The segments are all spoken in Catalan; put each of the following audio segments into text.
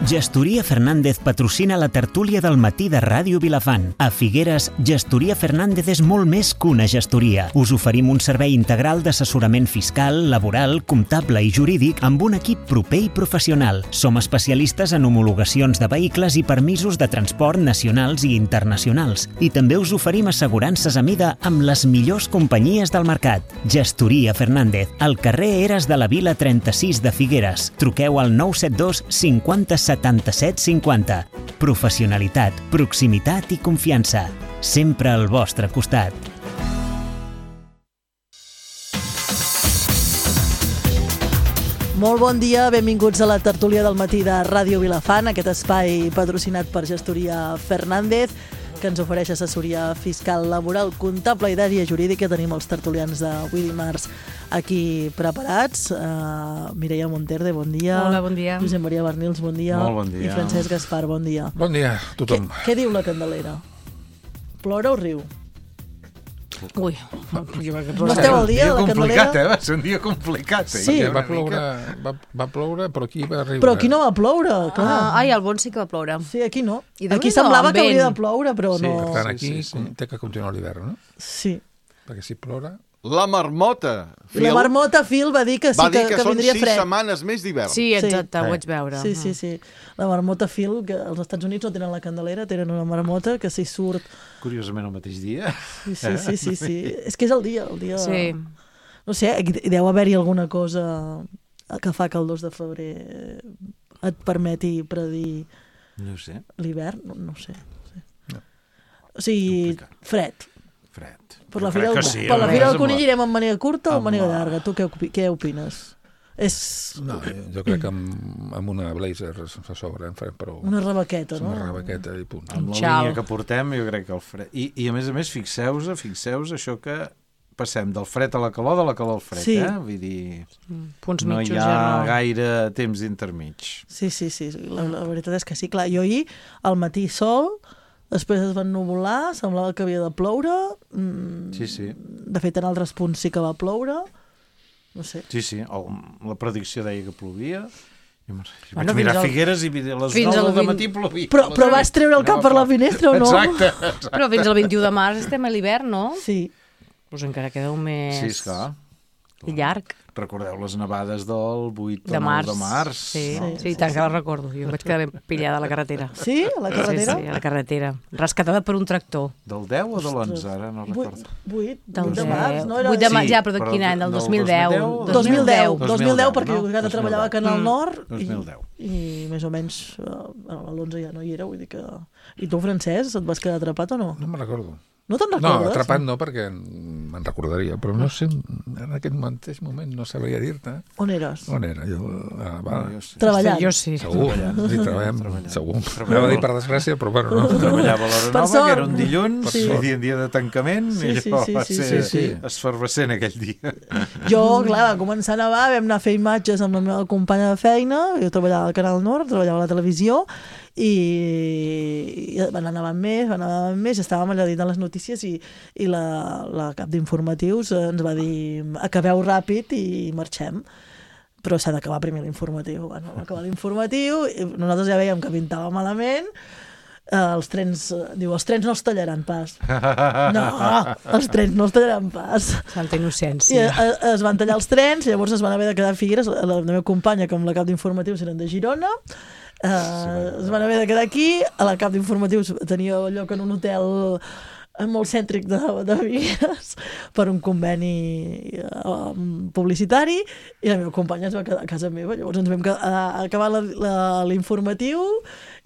Gestoria Fernández patrocina la tertúlia del matí de Ràdio Vilafant. A Figueres, Gestoria Fernández és molt més que una gestoria. Us oferim un servei integral d'assessorament fiscal, laboral, comptable i jurídic amb un equip proper i professional. Som especialistes en homologacions de vehicles i permisos de transport nacionals i internacionals. I també us oferim assegurances a mida amb les millors companyies del mercat. Gestoria Fernández, al carrer Eres de la Vila 36 de Figueres. Truqueu al 972 50 77 50. Professionalitat, proximitat i confiança. Sempre al vostre costat. Molt bon dia, benvinguts a la tertúlia del matí de Ràdio Vilafant, aquest espai patrocinat per Gestoria Fernández, que ens ofereix assessoria fiscal, laboral, comptable i d'àrea jurídica. Tenim els tertulians d'avui dimarts aquí preparats. Mireia Monterde, bon dia. Hola, bon dia. Josep Maria Bernils, bon dia. Molt bon dia. I Francesc Gaspar, bon dia. Bon dia a tothom. Què diu la Candelera? Plora o riu? Ui, no esteu al dia, la Candelera? Va ser un dia complicat. Sí. Va ploure, però aquí va riure. Però aquí no va ploure, clar. Ai, al Bon sí que va ploure. Sí, aquí no. I Aquí semblava que hauria de ploure, però no. Per tant, aquí té que continuar l'hivern, no? Sí. Perquè si plora... La marmota. La marmota Phil va dir que sí, que són vindria 6 fred. setmanes més d'hivern. Sí, exacte, ho vaig veure. Sí. La marmota Phil, que als Estats Units no tenen la Candelera, tenen una marmota que s'hi surt... Curiosament el mateix dia. Sí. És que és el dia. Sí. No sé, deu haver-hi alguna cosa que fa que el 2 de febrer et permeti predir No sé. l'hivern, no sé. O sigui, fred. Per la Fira del Conill irem amb màniga curta o amb màniga llarga? Tu què opines? No, jo crec que amb una blazer a sobre en farem prou. Una rebequeta, no? Una rebequeta i punt. Amb la línia que portem, jo crec que el fred... I a més, fixeu-vos això que passem del fred a la calor, de la calor al fred, Vull dir, punts no mitjos hi ha gaire temps intermig. Sí. La veritat és que sí, clar. Jo ahir, al matí sol... Després es van nuvolar, semblava que havia de ploure. Sí. De fet, en altres punts sí que va ploure. No sé. Sí. La predicció deia que plovia. Vaig mirar Figueres i a les 9 del matí plovia. Però vas treure el cap per la finestra o no? Exacte. Però fins al 21 de març estem a l'hivern, no? Sí. Doncs encara queda un mes... Sí, esclar. Llarg. Recordeu les nevades del 8 de 9 de març. Sí, tant que la recordo. Jo em vaig quedar ben pillada a la carretera. Sí? A la carretera? Sí, a la carretera. Rescatada per un tractor. Del 10 o de l'11, ara no recordo. 8 de març, no era? 8 de març, ja, però de quin any? Del 2010. 2010, perquè jo treballava a Canal Nord 2010. I més o menys a l'11 ja no hi era, vull dir que... I tu, Francesc, et vas quedar atrapat o no? No me'n recordo. No te'n recordes? No, atrapat no, perquè me'n recordaria, però no sé, en aquest mateix moment no sabria dir-te. On eres? On era? Jo, treballant. Jo sí. Segur, sí, treballem, segur. Anava a dir per desgràcia, però bueno, no. Treballava a l'Hora Nova, que era un dilluns, dia de tancament, i allò va ser esfervescent aquell dia. Jo, clar, va començar a nevar, vam anar a fer imatges amb la meva companya de feina, jo treballava al Canal Nord, treballava a la televisió, i van anar més, estàvem allà dins de les notícies i la cap d'informatius ens va dir acabeu ràpid i marxem, però s'ha d'acabar primer l'informatiu. Bueno, va acabar l'informatiu, nosaltres ja veiem que pintava malament. Els trens no els tallaran pas. No, els trens no els tallaran pas. Santa innocència. I es van tallar els trens, llavors es van haver de quedar a Figueres, la meva companya com la cap d'informatius eren de Girona, es van haver de quedar aquí, a la cap d'informatius tenia lloc en un hotel molt cèntric de Figueres per un conveni publicitari, i la meva companya es va quedar a casa meva. Llavors ens vam acabar l'informatiu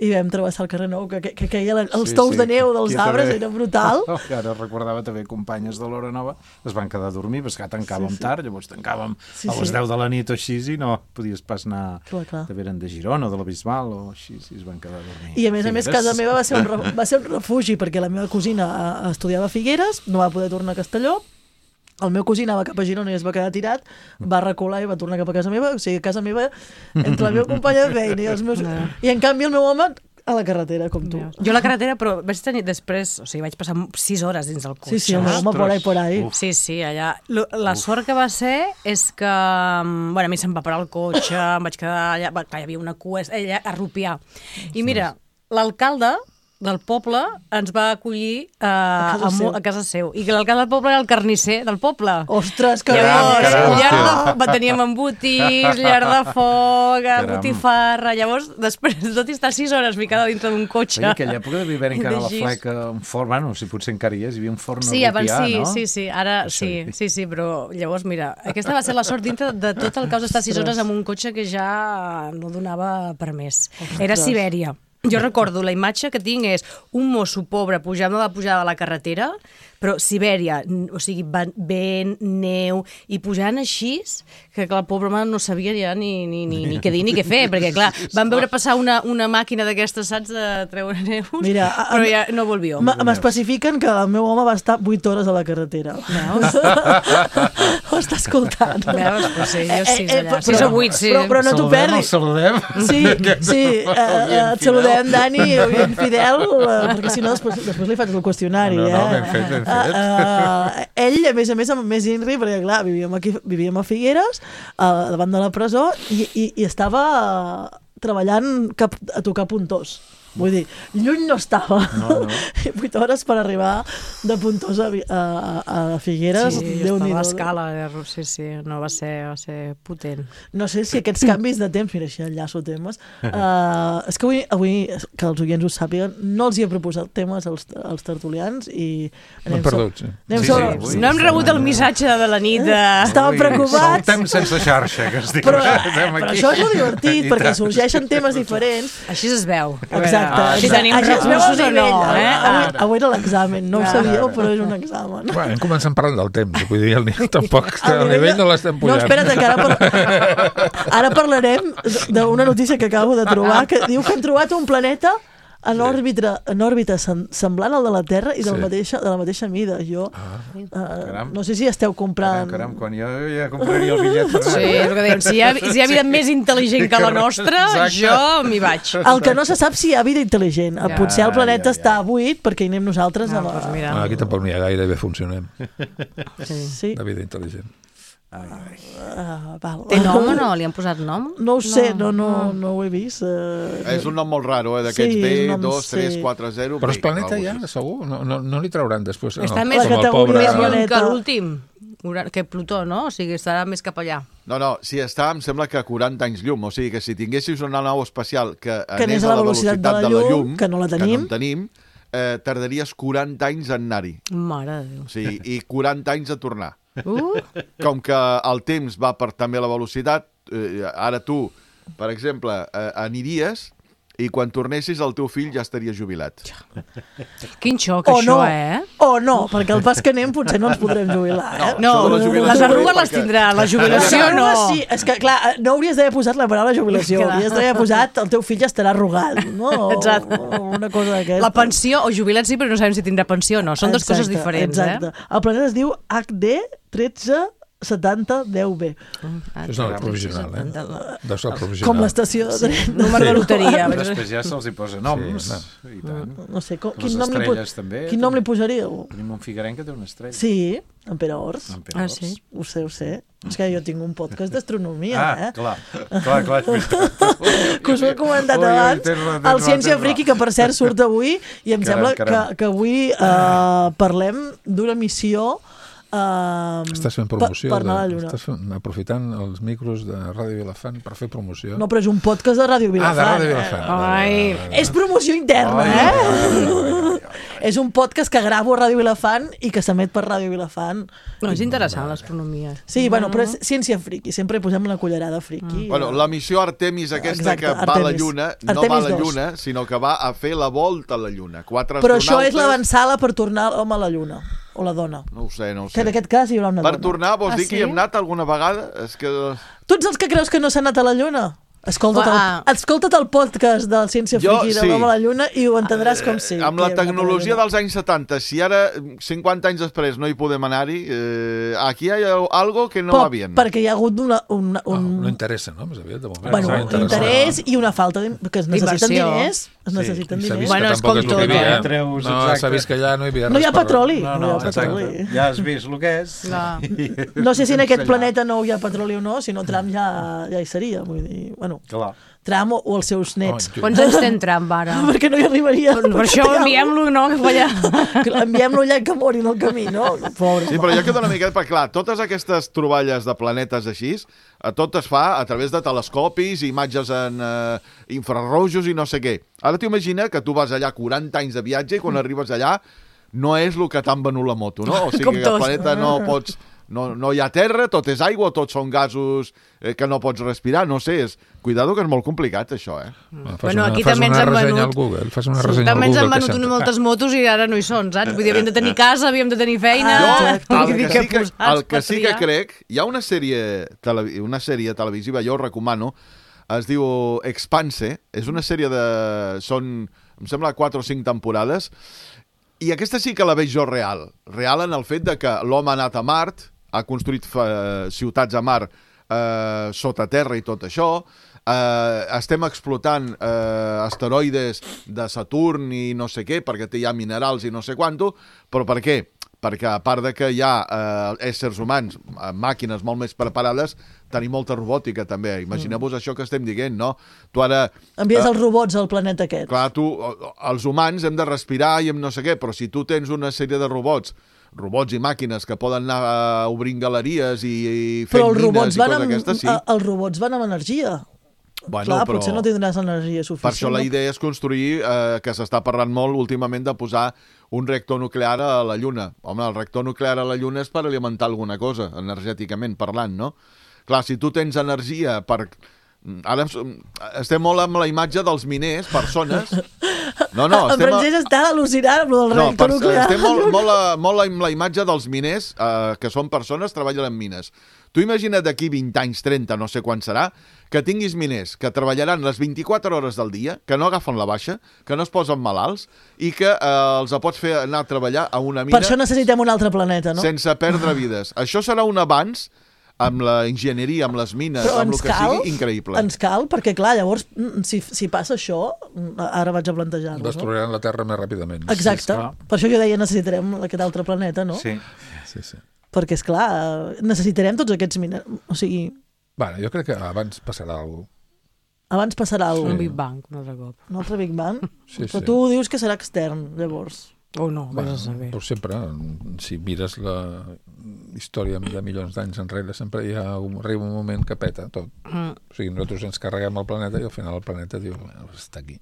i vam travessar el carrer Nou, que caia els tous de neu dels arbres, era brutal. Ara recordava també companyes de l'Hora Nova, es van quedar a dormir, perquè tancàvem tard, llavors tancàvem a les 10 de la nit o així, i no podies pas anar, veren de Girona o de la Bisbal o així, i es van quedar a dormir. I a més casa meva va ser un refugi, perquè la meva cosina estudiava a Figueres, no va poder tornar a Castelló, el meu cosí anava cap a Girona i es va quedar tirat, va recular i va tornar cap a casa meva, o sigui, a casa meva, entre la meva companya de feina i els meus... I en canvi el meu home a la carretera, com tu. Jo a la carretera, però vaig tenir després, o sigui, vaig passar 6 hores dins del cotxe. Sí, home, por ahí. Sí, allà. La sort que va ser és que, bueno, a mi se'm va parar el cotxe, em vaig quedar allà, hi havia una cua, allà a rupiar. I mira, l'alcalde del poble ens va acollir a casa seu. I que l'alcalde del poble era el carnisser del poble. Ostres, que llavors, teníem embotis, llar de foc, botifarra. Llavors, després de tot i estar 6 hores ficada dintre d'un cotxe... En aquella època devia haver encara la fleca, un forn, bueno, si potser encara hi és, hi havia un forn a rupiar, no? Sí, ara sí, però llavors, mira, aquesta va ser la sort dintre de tot el caos d'estar 6 hores amb un cotxe que ja no donava per més. Era Sibèria. Jo recordo, la imatge que tinc és un mosso pobre pujant a la pujada de la carretera, però Sibèria, o sigui, vent, neu, i pujant així, que clar, el pobre home no sabia ja ni què dir ni què fer, perquè clar, van veure passar una màquina d'aquestes, saps, de treure neus, mira, però ja no volvió. M'especifiquen que el meu home va estar 8 hores a la carretera. Veus? Ho està escoltant. Veus? Pues sí, jo 6 allà. 6 o 8, sí. Però no t'ho perdis. Saludem? Sí, et saludem, Dani, ben fidel, perquè si no després li faig el qüestionari. No, ben fet. Ell, a més, amb més INRI, perquè clar, vivíem a Figueres, davant de la presó, i estava treballant a tocar Puntós. Vull dir, lluny no estava. No. 8 hores per arribar de Puntós a Figueres. Sí, jo estava a escala, sí, no, va ser potent. No sé si aquests canvis de temps, mira, així enllaço temes, és que avui, que els oients ho sàpiguen, no els hi he proposat temes als tertulians i... M'han perdut, sí. No hem rebut el missatge de la nit de... Estàvem preocupats. Saltem sense xarxa, que es diu. Però això és molt divertit, perquè sorgeixen temes diferents. Així es veu. Exacte. Si tenim recursos o no, Avui era l'examen, no ho sabíeu, però és un examen. Bueno, hem començat parlant del temps, vull dir, el nivell tampoc el nivell no l'estem pujant. No, espera't, que ara parlarem d'una notícia que acabo de trobar, que diu que han trobat un planeta en òrbita semblant al de la Terra i de la mateixa mida. Jo no sé si esteu comprant... Caram, quan jo ja compraria el bitllet per anar. Sí, és el que dèiem, si hi ha vida més intel·ligent que la nostra, jo m'hi vaig. El que no se sap si hi ha vida intel·ligent. Potser el planeta està buit perquè hi anem nosaltres. Aquí tampoc n'hi ha gaire, bé funcionem. Sí. La vida intel·ligent. Té nom o no? Li han posat nom? No ho sé, no ho he vist. És un nom molt raro, d'aquests B2340. Però és planeta ja, segur? No li trauran després. Està més lluny que l'últim, que Plutó, no? O sigui, estarà més cap allà. No, si està, em sembla que 40 anys llum. O sigui que si tinguessis una nau espacial que anés a la velocitat de la llum, que no la tenim, tardaries 40 anys en anar-hi. Mare de Déu. Sí, i 40 anys a tornar. Com que el temps va per també la velocitat, ara tu, per exemple, aniries i quan tornessis el teu fill ja estaria jubilat. Quin xoc, això, O no, perquè el pas que anem potser no ens podrem jubilar. No, les arrugues les tindrà, la jubilació no. Sí, és que clar, no hauries d'haver posat la paraula jubilació, hauries d'haver posat el teu fill ja estarà arrugat, no? Exacte. Una cosa d'aquesta. La pensió, o jubilat sí, però no sabem si tindrà pensió o no. Són dues coses diferents, Exacte. El planeta es diu HD 137010B. És el provisional, Deu ser el provisional. Com l'estació de tren. Número de loteria. Després ja se'ls hi posa noms. No sé, quin nom li posaríeu? Tenim un figuerenc que té una estrella. Sí, en Pere Ors. Sí. Ho sé. És que jo tinc un podcast d'astronomia, Clar. Que us ho he comentat abans. El Ciència Friki, que per cert surt avui, i em sembla que avui parlem d'una missió estàs fent promoció, per anar a la Lluna. Estàs aprofitant els micros de Ràdio Vilafant per fer promoció. No, però és un podcast de Ràdio Vilafant. De Ràdio Vilafant. És promoció interna, És un podcast que gravo a Ràdio Vilafant i que s'emet per Ràdio Vilafant. No, és interessant l'astronomia. Sí, bueno, però és ciència friki, sempre posem una cullerada friki. Bueno, la missió Artemis aquesta que va a la Lluna, no va a la Lluna, sinó que va a fer la volta a la Lluna. Però això és l'avançada per tornar l'home a la Lluna. O la dona. No ho sé. Que en aquest cas hi haurà una dona. Per tornar, vols dir que hi hem anat alguna vegada? És que... Tu ets els que creus que no s'ha anat a la Lluna? Escolta't el podcast de Ciència Friki de l'Home a la Lluna i ho entendràs com sí. Amb la tecnologia dels anys 70, si ara, 50 anys després, no hi podem anar-hi, aquí hi ha algo que no va bien. Perquè hi ha hagut no interessa, no? Més aviat, de moment. Bueno, interès i una falta que es necessiten diners. Es necessiten diners. Bueno, és com tot. No, s'ha vist que allà no hi havia res. No hi ha petroli. Ja has vist el que és. No sé si en aquest planeta no hi ha petroli o no, si no Trump ja hi seria. Vull dir, bueno, Trump o els seus nets. Quants anys té Trump ara? Perquè no hi arribaria. Per això enviem-lo, no? Que fa allà. Enviem-lo allà que mori en el camí, no? Sí, però jo quedo una miqueta, perquè clar, totes aquestes troballes de planetes així, tot es fa a través de telescopis, imatges en infrarrojos i no sé què. Ara t'imagina que tu vas allà 40 anys de viatge i quan arribes allà no és el que t'han venut la moto, no? O sigui que el planeta no pots... No hi ha terra, tot és aigua, tots són gasos que no pots respirar, no sé, cuidado que és molt complicat això, Bueno, aquí també ens han venut... També ens han venut moltes motos i ara no hi són, saps? Vull dir, havíem de tenir casa, havíem de tenir feina... El que sí que crec, hi ha una sèrie televisiva, jo ho recomano, es diu Expanse, és una sèrie de... Són, em sembla, 4 o 5 temporades, i aquesta sí que la veig jo real en el fet de que l'home ha anat a Mart, ha construït ciutats a Mart sota terra i tot això, estem explotant asteroides de Saturn i no sé què, perquè hi ha minerals i no sé quanto, però per què? Perquè a part de que hi ha éssers humans, màquines molt més preparades, tenim molta robòtica també. Imagineu-vos això que estem dient, no? Tu ara... Envies els robots al planeta aquest. Clar, els humans hem de respirar i hem no sé què, però si tu tens una sèrie de robots i màquines que poden anar obrint galeries i fent mines i coses aquestes, sí. Els robots van amb energia. Bueno, clar, però potser no tindràs energia suficient. Per això la idea és construir, que s'està parlant molt últimament de posar un reactor nuclear a la Lluna. Home, el reactor nuclear a la Lluna és per alimentar alguna cosa, energèticament parlant, no? Clar, si tu tens energia per... Ara estem molt amb la imatge dels miners, persones... No, en Francesc està al·lucinant amb el reactor nuclear. Estem molt amb la imatge dels miners, que són persones, treballen en mines. Tu imagina't d'aquí 20 anys, 30, no sé quan serà, que tinguis miners que treballaran les 24 hores del dia, que no agafen la baixa, que no es posen malalts i que els pots fer anar a treballar a una mina... Per això necessitem un altre planeta, no? Sense perdre vides. Això serà un avanç amb la enginyeria, amb les mines, amb el que sigui, increïble. Ens cal, perquè clar, llavors, si passa això, ara vaig a plantejar-ho. Destruiran la Terra més ràpidament. Exacte. Per això jo deia, necessitarem aquest altre planeta, no? Sí. Perquè, esclar, necessitarem tots aquests miners. O sigui... Bueno, jo crec que abans passarà alguna cosa. Abans passarà alguna cosa. Un Big Bang, un altre cop. Un altre Big Bang? Però tu dius que serà extern, llavors. No, vés a saber. Però sempre, si mires la història de milions d'anys enrere, sempre arriba un moment que peta tot. O sigui, nosaltres ens carreguem el planeta i al final el planeta diu, està aquí.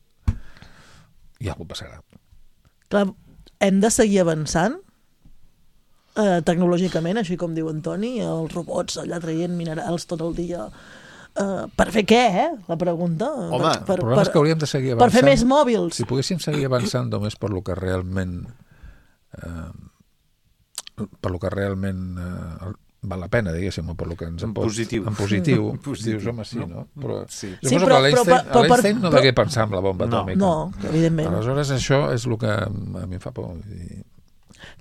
I alguna cosa passarà. Clar, hem de seguir avançant tecnològicament, així com diu Antoni, els robots allà traient minerals tot el dia. Per fer què, La pregunta. Home, el problema és que hauríem de seguir avançant. Per fer més mòbils. Si poguéssim seguir avançant només per lo que realment val la pena, diguéssim, o per lo que ens en positiu. En positiu. Dius, home, sí, no? Però però l'Einstein no degué pensar en la bomba atòmica. No, evidentment. Aleshores, això és el que a mi em fa por.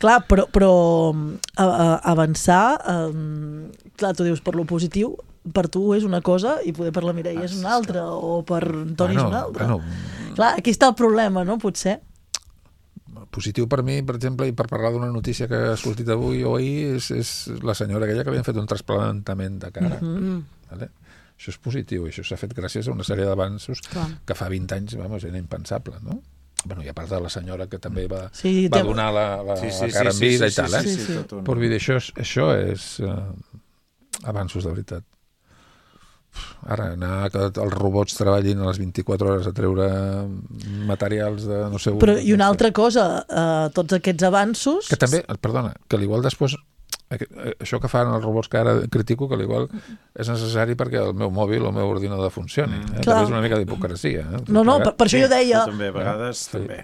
Clar, però avançar, clar, tu dius per lo positiu, per tu és una cosa i poder per la Mireia és una altra, o per Toni és una altra. Clar, aquí està el problema, no? Potser. Positiu per mi, per exemple, i per parlar d'una notícia que ha sortit avui o ahir, és la senyora aquella que li han fet un trasplantament de cara. Vale? Això és positiu, i això s'ha fet gràcies a una sèrie d'avanços que fa 20 anys, era impensable, no? Bueno, i a part de la senyora que també va donar la cara en vida i tal, Però vull dir, això és avanços de veritat. Ara, anar que els robots treballin a les 24 hores a treure materials de no sé... Però i una altra cosa, tots aquests avanços... Que també, perdona, que l'igual després... Això que fan els robots que ara critico, que l'igual és necessari perquè el meu mòbil o el meu ordinador funcioni. També és una mica d'hipocresia. No, per això jo deia... També, a vegades, també.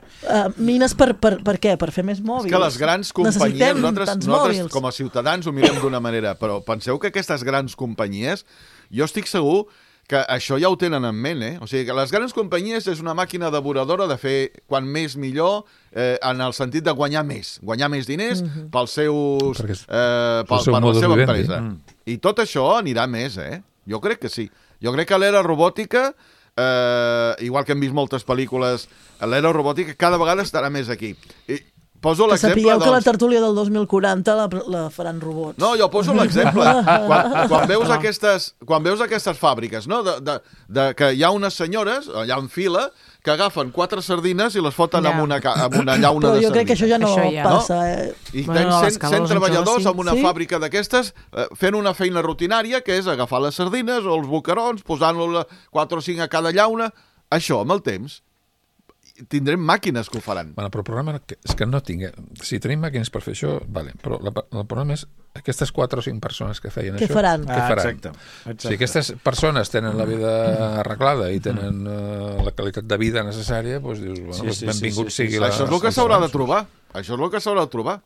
Mines per què? Per fer més mòbils. És que les grans companyies, nosaltres com a ciutadans ho mirem d'una manera, però penseu que aquestes grans companyies, jo estic segur que això ja ho tenen en ment, O sigui, que les grans companyies és una màquina devoradora de fer quan més millor, en el sentit de guanyar més diners pels seus, per la seva empresa. I tot això anirà més, Jo crec que sí. Jo crec que l'era robòtica, igual que hem vist moltes pel·lícules, l'era robòtica cada vegada estarà més aquí. Poso que sapigueu que la tertúlia del 2040 la faran robots. No, jo poso l'exemple. Quan veus aquestes fàbriques, no? Que hi ha unes senyores, allà en fila, que agafen 4 sardines i les foten en una llauna de sardines. Però jo crec que això ja no passa. I tens 100 treballadors en una fàbrica d'aquestes fent una feina rutinària, que és agafar les sardines o els boquerons, posant-los 4 o 5 a cada llauna. Això, amb el temps, tindrem màquines que ho faran. Bueno, però el problema és que no tinguem... Si tenim màquines per fer això, vale, però el problema és aquestes 4 o 5 persones que feien això... Què faran? Exacte. Si aquestes persones tenen la vida arreglada i tenen la qualitat de vida necessària, doncs dius, benvingut sigui la... Això és el que s'haurà de trobar. Això és el que s'haurà de trobar.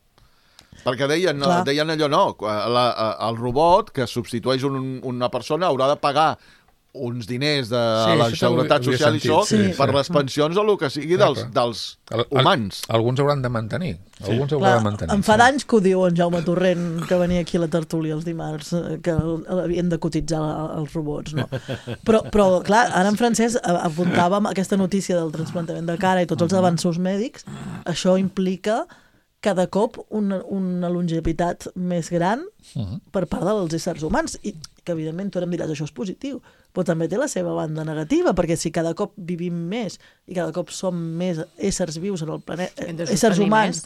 Perquè deien allò, no, el robot que substitueix una persona haurà de pagar uns diners de la Seguretat Social i això per les pensions o el que sigui dels humans. Alguns hauran de mantenir. Em fa d'anys que ho diu en Jaume Torrent, que venia aquí a la tertúlia els dimarts, que havien de cotitzar els robots, no? Però clar, ara en Francesc apuntàvem aquesta notícia del trasplantament de cara i tots els avanços mèdics. Això implica cada cop una longevitat més gran per part dels éssers humans, i que evidentment tu ara em diràs això és positiu, però també té la seva banda negativa, perquè si cada cop vivim més i cada cop som més éssers vius en el planeta, éssers humans,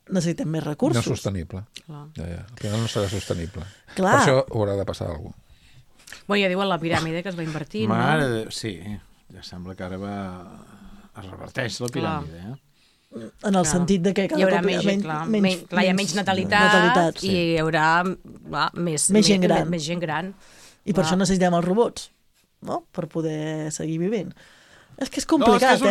necessitem més recursos. No és sostenible. Al final no serà sostenible. Per això haurà de passar alguna cosa. Bueno, ja diuen la piràmide que es va invertir, no? Sí, ja sembla que ara es reverteix la piràmide, en el sentit de que hi haurà menys natalitat i hi haurà més gent gran. I per això necessitem els robots, no? Per poder seguir vivint. És que és complicat,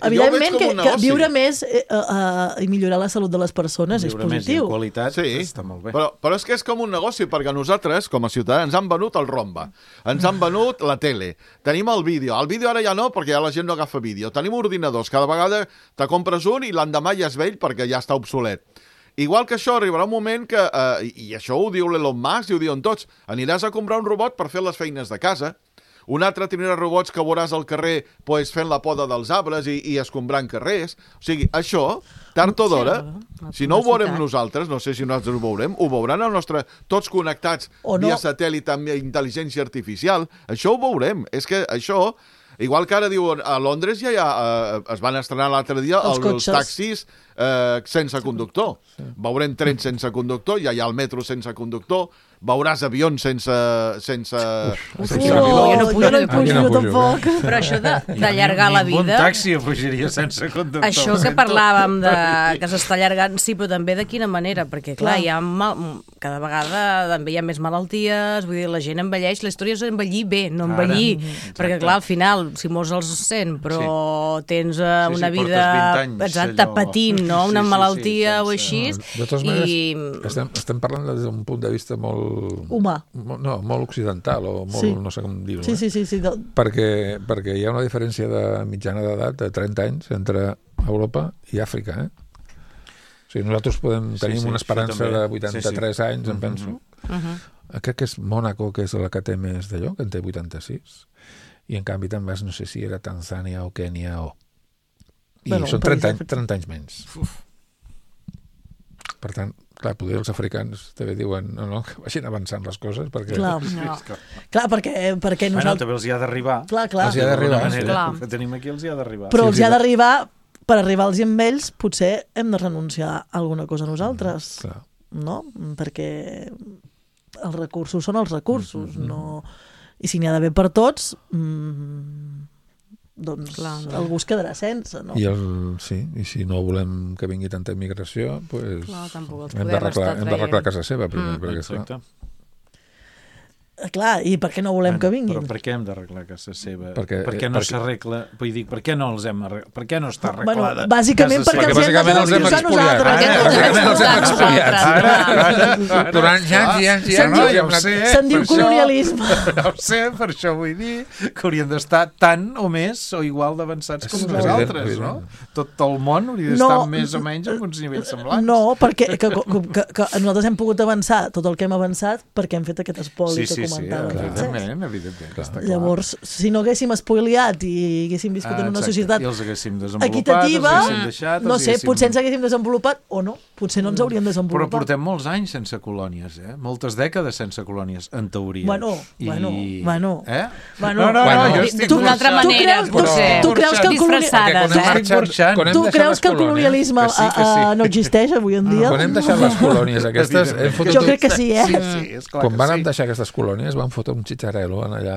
Evidentment que viure més i millorar la salut de les persones és positiu. Viure més en qualitat està molt bé. Però és que és com un negoci, perquè nosaltres, com a ciutadans, ens han venut el romba, ens han venut la tele, tenim el vídeo. El vídeo ara ja no, perquè ja la gent no agafa vídeo. Tenim ordinadors, cada vegada te compres un i l'endemà ja és vell perquè ja està obsolet. Igual que això, arribarà un moment que, i això ho diu l'Elon Musk i ho diuen tots, aniràs a comprar un robot per fer les feines de casa. Un altre tindrà robots que veuràs al carrer fent la poda dels arbres i escombrant carrers. O sigui, això, tard o d'hora, si no ho veurem nosaltres, no sé si nosaltres ho veuran el nostre... Tots connectats via satèl·lit amb intel·ligència artificial. Això ho veurem. És que això... Igual que ara diuen, a Londres ja es van estrenar l'altre dia els taxis sense conductor. Veurem trens sense conductor, ja hi ha el metro sense conductor, veuràs avions sense pilot. Jo no hi pujo tampoc. Però això d'allargar la vida... Un taxi fugiria sense conductor. Això que parlàvem que s'està allargant, sí, però també de quina manera, perquè clar, cada vegada també hi ha més malalties, vull dir, la gent envelleix, la història és envellir bé, no envellir, perquè clar, al final, si mors als 100, però tens una vida patint, no? Una malaltia o així. De totes maneres, estem parlant des d'un punt de vista molt... humà. No, molt occidental, o molt, no sé com dir-ho. Sí. Perquè hi ha una diferència de mitjana d'edat de 30 anys entre Europa i Àfrica, O sigui, nosaltres tenim una esperança de 83 anys, em penso. Crec que és Mònaco, que és la que té més d'allò, que en té 86. I en canvi te'n vas, no sé si era Tanzània o Kènia I són 30 anys menys. Per tant, clar, potser els africans també diuen que vagin avançant les coses, perquè... Clar, perquè nosaltres... també els hi ha d'arribar. Clar. Els hi ha d'arribar. El que tenim aquí els hi ha d'arribar. Però els hi ha d'arribar, per arribar-los amb ells, potser hem de renunciar a alguna cosa nosaltres. No? Perquè els recursos són els recursos, no... I si n'hi ha d'haver per tots... doncs algú es quedarà sense, no? I si no volem que vingui tanta immigració, doncs hem d'arreglar casa seva primer. Exacte. Clar, i per què no volem que vinguin? Però per què hem d'arreglar casa seva? Perquè- Per què no s'arregla? Vull dir, per què no els hem arreglat? Per què no està Bueno, arreglada? bàsicament casa perquè seva? els hem de expulsar nosaltres. Bàsicament els hem expoliat. Nosaltres. Durant anys i anys i anys. No, i ja hem ho anat- sé. Se'n diu per això- colonialisme. Ja ho sé, per això vull dir que haurien d'estar tant o més o igual d'avançats com És nosaltres, evident, no? Tot el món hauria d'estar més o menys en uns nivells semblants. No, perquè que nosaltres hem pogut avançar tot el que hem avançat perquè hem fet aquest espoli que comentava. evidentment. Està clar. Llavors, si no haguéssim espoliat i haguéssim viscut en una Exacte. societat I els haguéssim desenvolupat, equitativa, els haguéssim deixat, no els sé, haguéssim- potser ens haguéssim desenvolupat o no, potser no ens hauríem Però desenvolupat. portem molts anys sense colònies, moltes dècades sense colònies, en teoria. Bueno. Bueno. Bueno, jo tu- estic D'una altra burxant. manera, tu potser. tu creus que el Disfressades, Tu creus que el colonialisme no existeix avui en dia? Quan hem deixat les colònies aquestes, hem fotut... Jo crec que sí, Sí, esclar Quan que van sí. deixar aquestes colònies van fotre un xitxarel·lo en allà.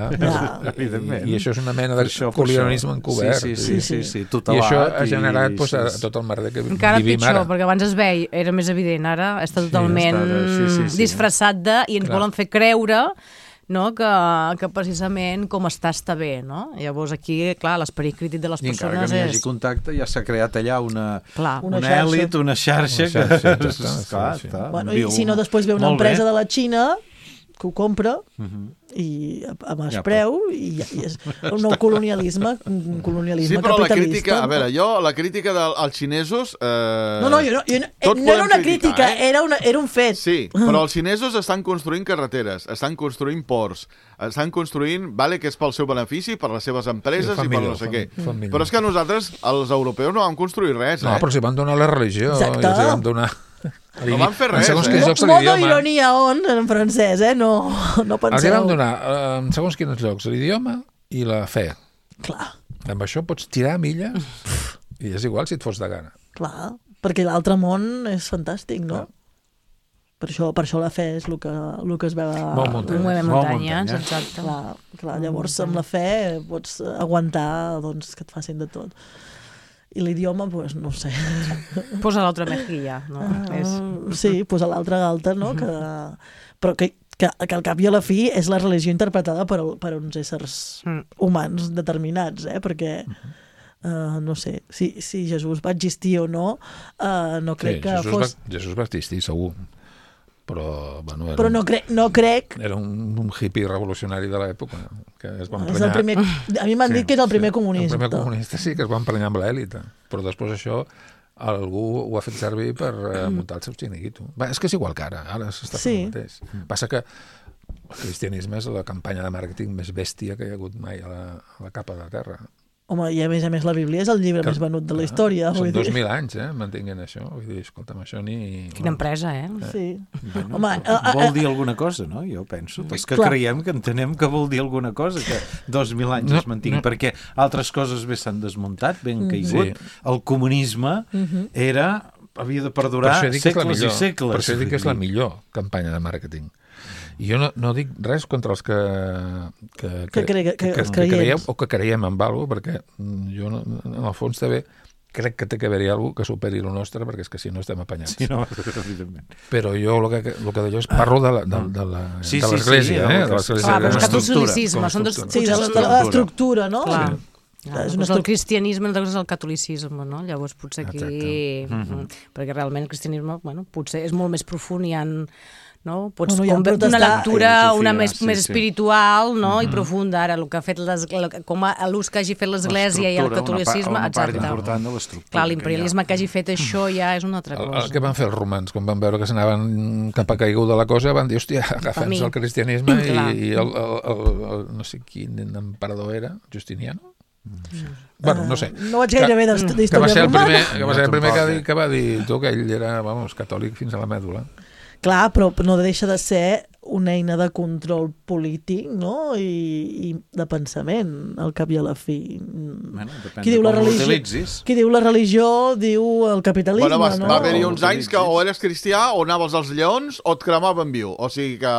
Evidentment. I això és una mena Per de això. colonialisme encobert. Sí, I tutelat. això ha generat doncs, i- tot el merder que Encara vivim pitjor, ara. perquè abans es veia, era més evident, ara està totalment sí. disfressat de, i ens Clar. volen fer creure, no, que precisament com està bé, no? Llavors aquí, clar, l'esperit crític de les I encara que persones no hi hagi és... contacte, ja s'ha creat allà una Una èlit, una xarxa Una xarxa, que... està, sí. Bueno, i si no, després ve una Molt empresa bé. de la Xina que ho compra i a baix preu i és un nou colonialisme, un colonialisme Sí, però la capitalista. crítica... A veure, la crítica dels xinesos... No, jo no tot era podem una criticar, crítica, era un fet. Sí, però els xinesos estan construint carreteres, estan construint ports, estan construint, vale, que és pel seu benefici, per les seves empreses Sí, i per no sé què. Però és que nosaltres, els europeus, no vam construir res, No, però s'hi van donar la religió, Exacte. i els hi van donar... No van fer res, segons eh? quins llocs Modo l'idioma. ironia on, en francès, no penseu. Els hi van donar, en segons quins llocs, l'idioma i la fe. Clar, Amb això pots tirar milles i és igual si et fos de gana. clar, perquè l'altre món és fantàstic, no? Per això la fe és el que es veu a... Molt muntanyes. Movem Molt muntanyes, muntanyes. exacte. Clar, llavors amb la fe pots aguantar doncs, que et facin de tot. I l'idioma, doncs, no ho sé. Posa l'altra mejilla, no? Sí, posar l'altra galta, no? Però que al cap i a la fi és la religió interpretada per uns éssers humans determinats, perquè no sé, si Jesús va existir o no, no crec que fos... Jesús va existir, segur. Però, bueno, Però no crec... Era un hippie revolucionari de l'època que es va És emprenyar... el primer, a mi m'han dit que és el primer comunista. El primer comunista sí que es va emprenyar amb l'èlite, però després això algú ho ha fet servir per muntar el seu xiringuito. És que és igual que ara s'està fent el mateix. Passa que el cristianisme és la campanya de màrqueting més bèstia que hi ha hagut mai a la capa de la Terra. Home, i a més la Bíblia és el llibre més venut de la història. Són 2.000 anys, mantinguent això. Vull dir, escolta'm, això ni... Quina empresa, Sí. Home, vol dir alguna cosa, no? Jo penso. Els que creiem que entenem que vol dir alguna cosa, que 2.000 anys es mantingui, perquè altres coses bé s'han desmuntat, ben caigut. El comunisme havia de perdurar segles i segles. Per això dic que és la millor campanya de màrqueting. I jo no dic res contra els que creieu o que creiem en alguna cosa, perquè jo, en el fons, també crec que té que haver-hi alguna cosa que superi el nostre, perquè és que si no estem apanyats. Sí, no, evidentment. Però jo el que deia és parlo de l'Església, de catolicisme, de l'estructura, no? Clar. El cristianisme, una cosa és el catolicisme, no? Llavors potser aquí... Perquè realment el cristianisme, potser és molt més profund, hi ha... No? Pots una lectura més espiritual, no? I profunda. Ara, el que ha fet com l'ús que hagi fet l'Església i el catolicisme, una part important de l'estructura. Clar, l'imperialisme que hagi fet això ja és una altra cosa. El que van fer els romans, quan van veure que s'anaven cap a caiguda la cosa, van dir, hòstia, agafem-nos el cristianisme i el no sé quin emperador era, Justiniano? Bueno, no sé. No vaig gaire bé d'història romana. Que va ser el primer que va dir tu, que ell era, catòlic fins a la mèdula. Clar, però no deixa de ser una eina de control polític, no? I de pensament, al cap i a la fi. Qui diu la religió diu el capitalisme, no? Va haver-hi uns anys que o eres cristià o anaves als lleons o et cremaven viu. O sigui que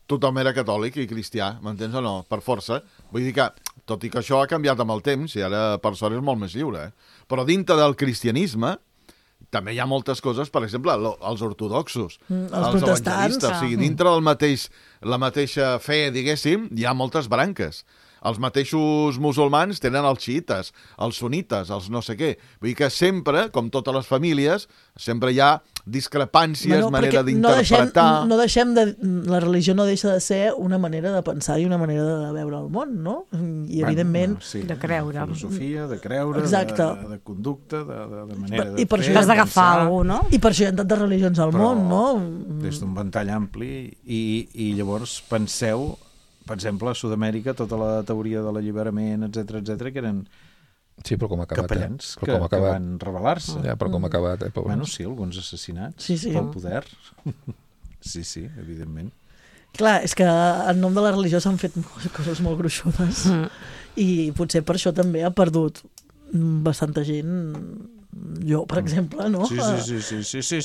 tothom era catòlic i cristià, m'entens o no? Per força. Vull dir que, tot i que això ha canviat amb el temps, i ara per sort és molt més lliure, però dintre del cristianisme també hi ha moltes coses, per exemple, els ortodoxos, els protestants. O sigui, dintre la mateixa fe, diguéssim, hi ha moltes branques. Els mateixos musulmans tenen els xiites, els sunites, els no sé què. Vull dir que sempre, com totes les famílies, sempre hi ha discrepàncies, manera d'interpretar... La religió no deixa de ser una manera de pensar i una manera de veure el món, no? I evidentment... De creure. De filosofia, de creure, de conducta, de manera de fer... Has d'agafar alguna cosa, no? I per això hi ha tantes religions al món, no? Des d'un ventall ampli i llavors penseu... Per exemple, a Sud-amèrica, tota la teoria de l'alliberament, etc que eren capellans que van rebel·lar-se. Ja, però com ha acabat, Bueno, sí, alguns assassinats pel poder. Sí, evidentment. Clar, és que en nom de la religió s'han fet coses molt gruixudes i potser per això també ha perdut bastanta gent... Jo, per exemple, no? Sí,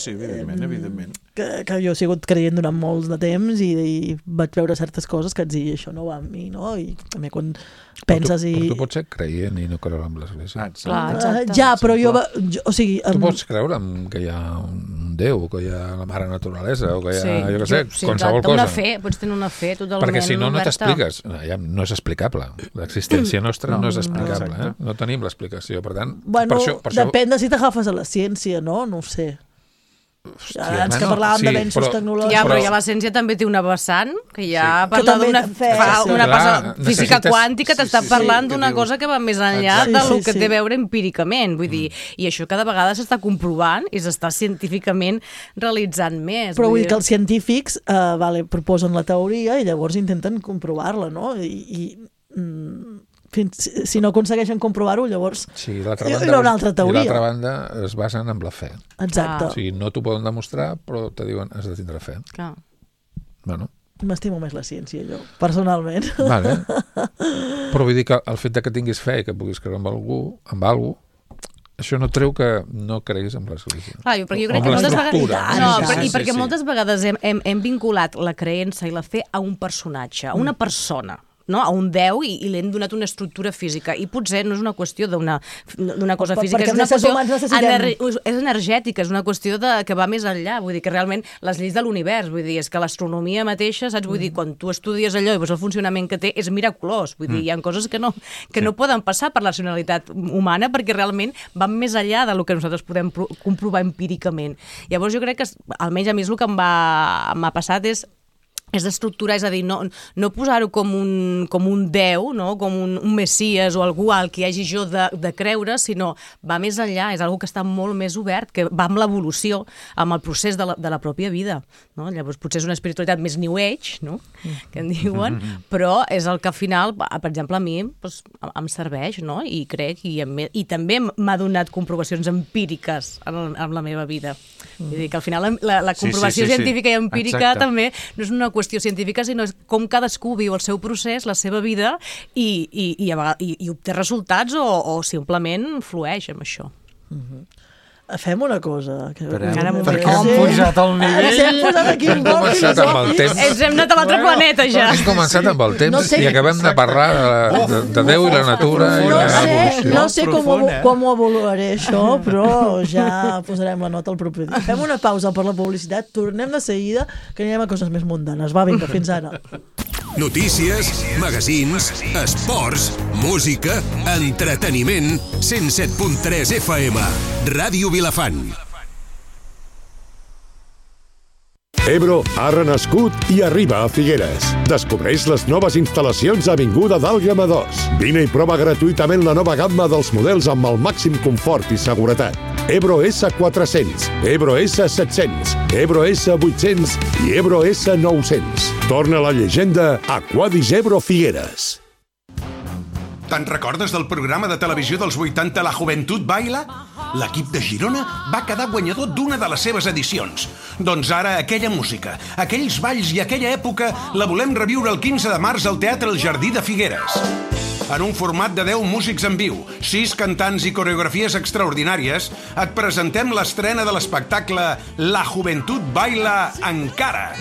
evidentment. Que jo he sigut creient durant molts de temps i vaig veure certes coses que et dic, això no va amb mi, no? I també quan penses i... Però tu pots ser creient i no creure en l'església. Ja, però jo... O sigui... Tu pots creure que hi ha un Déu, que hi ha la mare naturalesa, o que hi ha, jo què sé, qualsevol cosa. Una fe, pots tenir una fe totalment perquè si no, no oberta. t'expliques. No és explicable. L'existència nostra no és explicable. No tenim l'explicació. Per tant, bueno, per això... depèn de si t'agafes a la ciència, no? No ho sé. Hòstia, abans que parlàvem d'avenços tecnològics. Ja, però ja la ciència també té una vessant, que ja parla d'una física quàntica, t'està parlant d'una cosa que va més enllà del que té a veure empíricament. Vull dir, i això cada vegada s'està comprovant i s'està científicament realitzant més. Però vull dir que els científics proposen la teoria i llavors intenten comprovar-la, no? Si no aconsegueixen comprovar-ho, llavors hi haurà una altra teoria. I l'altra banda es basen en la fe. Exacte. O sigui, no t'ho poden demostrar, però te diuen has de tindre fe. Clar. Bueno. M'estimo més la ciència, jo, personalment. Vale. Però vull dir que el fet que tinguis fe i que puguis creure en algú, això no treu que no creguis en l'església. Clar, perquè jo crec que moltes vegades... perquè moltes vegades hem vinculat la creença i la fe a un personatge, a una persona, no? A un déu i li hem donat una estructura física i potser no és una qüestió d'una cosa física, és una qüestió és energètica, és una qüestió que va més enllà, vull dir que realment les lleis de l'univers, vull dir, és que l'astronomia mateixa, saps, vull dir, quan tu estudies allò i veus el funcionament que té, és miraculós, vull dir, hi ha coses que no poden passar per la racionalitat humana perquè realment van més enllà del que nosaltres podem comprovar empíricament. Llavors jo crec que, almenys a mi és el que m'ha passat és d'estructurar, és a dir, no posar-ho com un déu, no? Com un messies o algú al que hagi jo de creure, sinó va més enllà, és algo que està molt més obert, que va amb l'evolució, amb el procés de la pròpia vida. No? Llavors potser és una espiritualitat més New Age, no? Que en diuen, però és el que al final, per exemple, a mi em serveix, no? I crec, i també m'ha donat comprovacions empíriques en la meva vida. Vull dir que al final la comprovació científica i empírica també no és una qüestió científica, sinó és com cadascú viu el seu procés, la seva vida i obté resultats o simplement flueix amb això. Fem una cosa. Perquè hem pujat al nivell. Hem posat aquí hem començat amb el temps. Ens hem anat a l'altre planeta ja. Hem començat amb el temps i acabem de parlar de Déu i la natura i l'evolució. No sé com ho avaluaré això, però ja posarem la nota al proper dia. Fem una pausa per la publicitat, tornem de seguida que anirem a coses més mundanes. Va, vinga, fins ara. Notícies, magazins, esports, música, entreteniment, 107.3 FM, Ràdio Vilafant. Ebro ha renascut i arriba a Figueres. Descobreix les noves instal·lacions a Avinguda d'Àlguema 2. Vine i prova gratuïtament la nova gamma dels models amb el màxim confort i seguretat. Ebro S400, Ebro S700, Ebro S800 i Ebro S900. Torna la llegenda Aquadis Ebro Figueres. Te'n recordes del programa de televisió dels 80 La Juventud Baila? L'equip de Girona va quedar guanyador d'una de les seves edicions. Doncs ara aquella música, aquells balls i aquella època la volem reviure el 15 de març al Teatre El Jardí de Figueres. En un format de 10 músics en viu, 6 cantants i coreografies extraordinàries, et presentem l'estrena de l'espectacle La Juventud Baila Encara.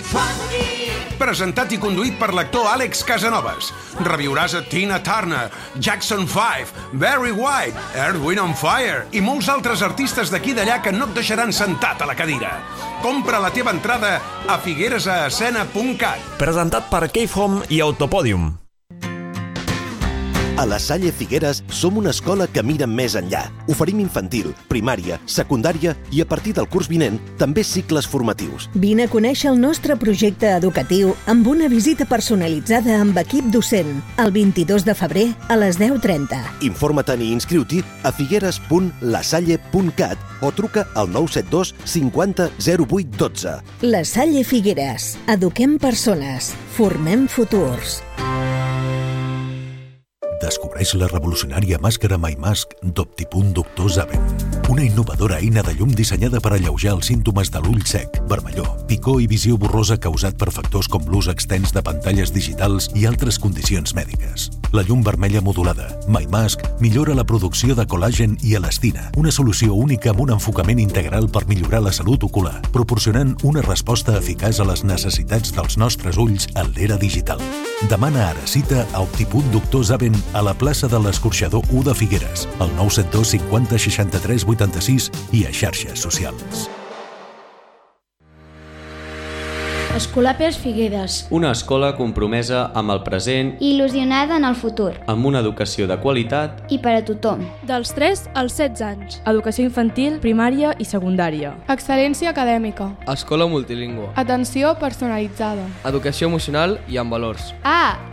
presentat i conduït per l'actor Àlex Casanovas. Reviuràs a Tina Turner, Jackson 5, Barry White, Earth, Wind and Fire i molts altres artistes d'aquí i d'allà que no et deixaran sentat a la cadira. Compra la teva entrada a figueresascena.cat. Presentat per Cave Home i Autopodium. A la Salle Figueres som una escola que mira més enllà. Oferim infantil, primària, secundària i a partir del curs vinent també cicles formatius. Vine a conèixer el nostre projecte educatiu amb una visita personalitzada amb equip docent el 22 de febrer a les 10:30. Informa't-hi i inscriu-t'hi a figueres.lasalle.cat o truca al 972 50 08 12. La Salle Figueres. Eduquem persones. Formem futurs. Descobreix la revolucionària màscara MyMask d'Optipunt Doctor Zaven. Una innovadora eina de llum dissenyada per alleujar els símptomes de l'ull sec, vermellor, picor i visió borrosa causat per factors com l'ús extens de pantalles digitals i altres condicions mèdiques. La llum vermella modulada, MyMask, millora la producció de col·làgen i elastina, una solució única amb un enfocament integral per millorar la salut ocular, proporcionant una resposta eficaç a les necessitats dels nostres ulls en l'era digital. Demana ara cita a Optipunt Doctor Zaven a la plaça de l'Escorxador 1 de Figueres, al 972 50 63 86 i a xarxes socials. Escolapes Figueres. Una escola compromesa amb el present i il·lusionada en el futur. Amb una educació de qualitat i per a tothom. Dels 3 als 16 anys. Educació infantil, primària i secundària. Excel·lència acadèmica. Escola multilingüe. Atenció personalitzada. Educació emocional i amb valors.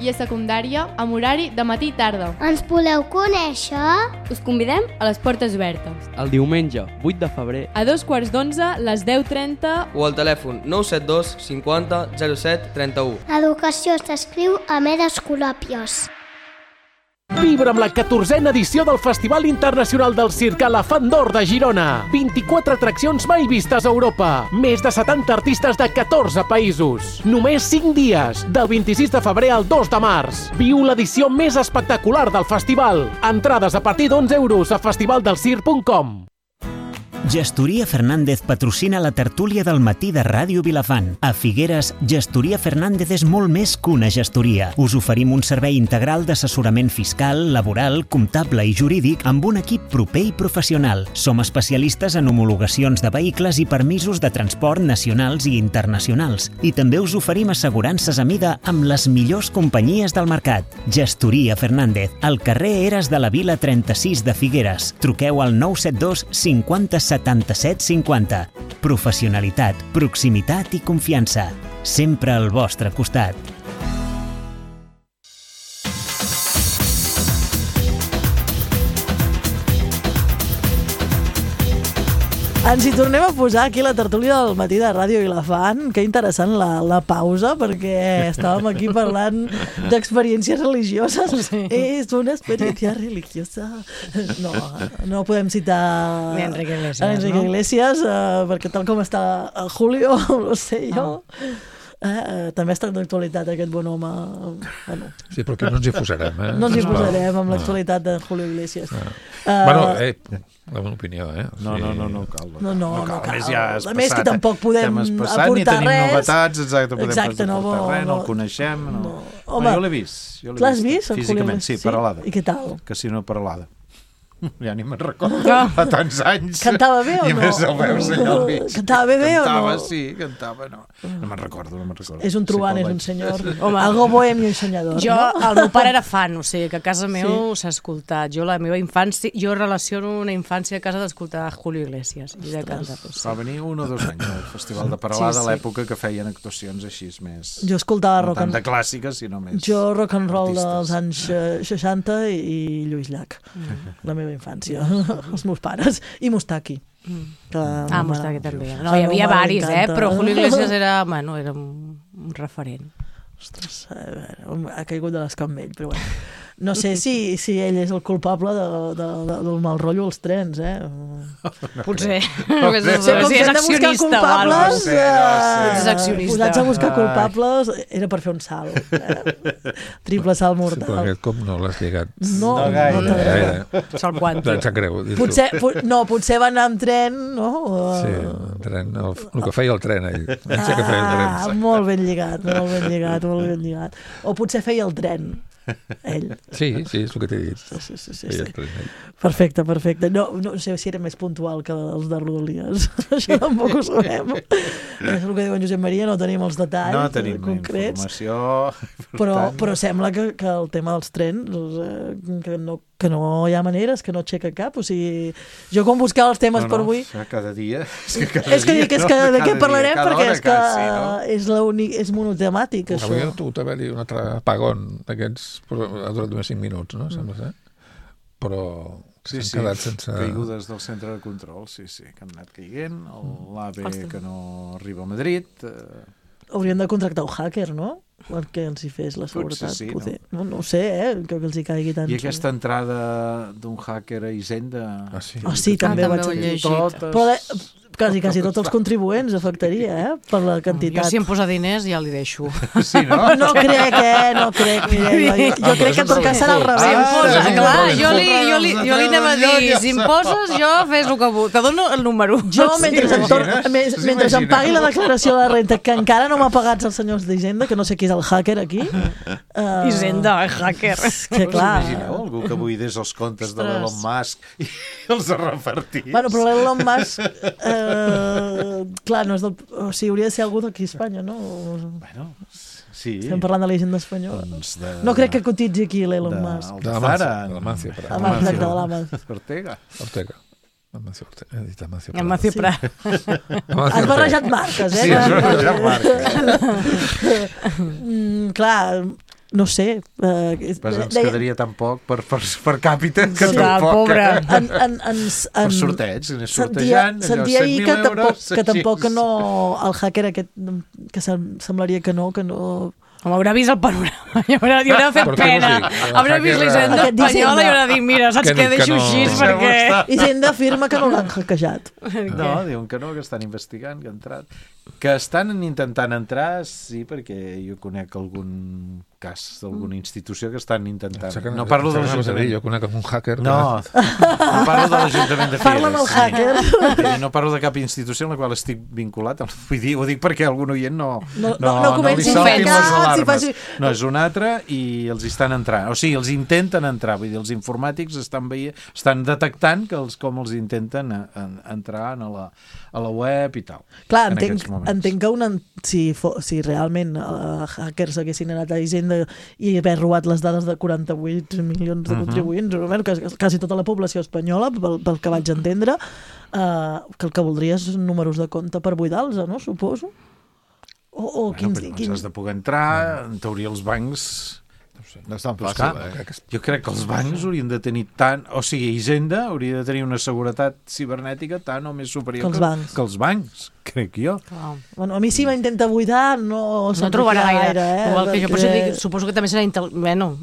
I a secundària, amb horari de matí i tarda. Ens voleu conèixer? Us convidem a les portes obertes. El diumenge, 8 de febrer. A 2:15, les 10:30. O al telèfon 972 50 07 31. Educació s'escriu amb Escolàpios. Vibra amb la 14a edició del Festival Internacional del Circ Elefant d'Or de Girona. 24 atraccions mai vistes a Europa. Més de 70 artistes de 14 països. Només 5 dies, del 26 de febrer al 2 de març. Viu l'edició més espectacular del festival. Entrades a partir d'11 € a festivaldelcirc.com. Gestoria Fernández patrocina la tertúlia del matí de Ràdio Vilafant. A Figueres, Gestoria Fernández és molt més que una gestoria. Us oferim un servei integral d'assessorament fiscal, laboral, comptable i jurídic amb un equip proper i professional. Som especialistes en homologacions de vehicles i permisos de transport nacionals i internacionals. I també us oferim assegurances a mida amb les millors companyies del mercat. Gestoria Fernández, al carrer Eres de la Vila 36 de Figueres. Truqueu al 972 50 77 50. Professionalitat, proximitat i confiança. Sempre al vostre costat. Ens hi tornem a posar aquí la tertúlia del matí de Ràdio Vilafant. Que interessant la pausa, perquè estàvem aquí parlant d'experiències religioses. Sí. És una experiència religiosa. No podem citar Enrique Iglesias, Iglesias, perquè tal com està Julio, no sé jo... també està d'actualitat aquest bon home. Bueno. Sí, però que no ens hi posarem. No ens hi posarem amb l'actualitat de Julio Iglesias. La meva opinió, No cal. No cal. Ja a més que tampoc podem aportar ni tenim res. Novetats, podem aportar res, no el coneixem. Home, jo l'he vist. L'has vist? Físicament, sí, Peralada. I què tal? Casino Peralada. Ja ni me'n recordo, fa tants anys. Cantava bé o no? I més el veus allà al mig. Cantava bé o no? Cantava, sí, cantava, no. No me'n recordo. És un trobant, és un senyor. Algo bohemio i soñador. El meu pare era fan, o sigui, que a casa meu s'ha escoltat. Jo la meva infància, jo relaciono una infància a casa d'escoltar Julio Iglesias i de cantar-los. Va venir 1 o 2 anys al Festival de Peralada, a l'època que feien actuacions així més... Jo escoltava rock and roll. No tant de clàssiques, sinó més... Jo rock and roll dels anys 60 i Lluís Llach. La meva infància. Els meus pares. I Mustaki. Mustaki també. No, hi havia varis, però Julio Iglesias era un referent. Ostres, ha caigut de l'escampell, però bueno. No sé si ell és el culpable del mal rotllo als trens, Potser. Si és accionista o alguna cosa. És accionista. Posats a buscar culpables era per fer un salt. Triple salt mortal. Sí, però aquest cop no l'has lligat. No gaire. Salt quàntic. Em sap greu. Potser va anar amb tren, no? Sí, el tren, el que feia el tren, ell. Pensa que feia el tren. Molt ben lligat, molt ben lligat. O potser feia el tren, ell. Sí, és el que t'he dit. Sí. Perfecte. No sé si era més puntual que els de Rodalies. Això tampoc ho sabem. És el que diu en Josep Maria, no tenim els detalls no tenim concrets. Informació. Però sembla que el tema dels trens, que no hi ha maneres, que no aixeca cap. O sigui, jo quan buscava els temes per avui... Cada dia. És que de què parlarem, perquè és que és monotemàtic, això. Avui ha hagut d'haver-hi un altre apagón d'aquests, però ha durat només 5 minuts, no? Sembla ser. Però s'han quedat sense... Caigudes del centre de control, sí, que han anat caiguent, l'AVE que no arriba a Madrid... Haurien de contractar un hacker, no? Perquè els hi fes la seguretat. Sí, no ho sé, que els hi caigui tant. I aquesta entrada d'un hacker a Hisenda... Sí, també ho vaig llegir. Però quasi tots els contribuents afectaria, per la quantitat. Jo si em posa diners ja li deixo. Sí, no? No crec, Mireia. Jo crec que en tot cas serà al revés. Si em posa, clar, jo li anem a dir, si em poses, jo fes el que vull. Te dono el número. Jo, mentre em pagui la declaració de renta, que encara no m'ha pagat els senyors d'Hisenda, que no sé qui és el hacker aquí. Hisenda, hacker. Que clar. Imagineu algú que buidés els comptes de l'Elon Musk i els repartís? Bueno, però l'Elon Musk... clar, no és del... O sigui, hauria de ser algú d'aquí a Espanya, no? Bueno, sí. Estem parlant de la hisenda espanyola. No crec que cotitzi aquí l'Elon Musk. De l'Amancio Prat. Ortega. He dit Amancio Prat. Amancio Prat. Has barrejat marques, Sí, has barrejat marques. Clar... No sé. Ens quedaria tan poc per càpita que tampoc... Pobre. Per sorteig, sortejant, sentia ahir que tampoc no... El hacker aquest, que semblaria que no... Home, haurà vist el panorama, hi haurà fet pena. Haurà vist l'Hisenda espanyola i haurà dit, mira, saps què, deixo així perquè... Hisenda afirma que no l'han hackejat. No, diuen que no, que estan investigant, que han entrat. Que estan intentant entrar, sí, perquè jo conec algun cas d'alguna institució que estan intentant. No parlo de l'Ajuntament. Jo conec un hacker. No parlo de l'Ajuntament de Figueres. Parla amb el hacker. No parlo de cap institució en la qual estic vinculat. Vull dir, ho dic perquè algun oient no comenci a fer les alarmes. si No, és una altra i els estan entrant. O sigui, els intenten entrar. Vull dir, els informàtics estan detectant com els intenten entrar a la web i tal. Clar, entenc que si realment hackers haguessin anat a Hisenda i haver robat les dades de 48 milions de contribuents, quasi tota la població espanyola, pel que vaig entendre, que el que voldria és números de compte per buidar-los, no? Suposo. Has de poder entrar, en teoria els bancs... No és tan fàcil, Jo crec que els bancs haurien de tenir tant... O sigui, Hisenda hauria de tenir una seguretat cibernètica tant o més superior que els bancs, crec jo. Bueno, a mi si m'intenta buidar no trobarà gaire. Igual que jo potser dic, suposo que també serà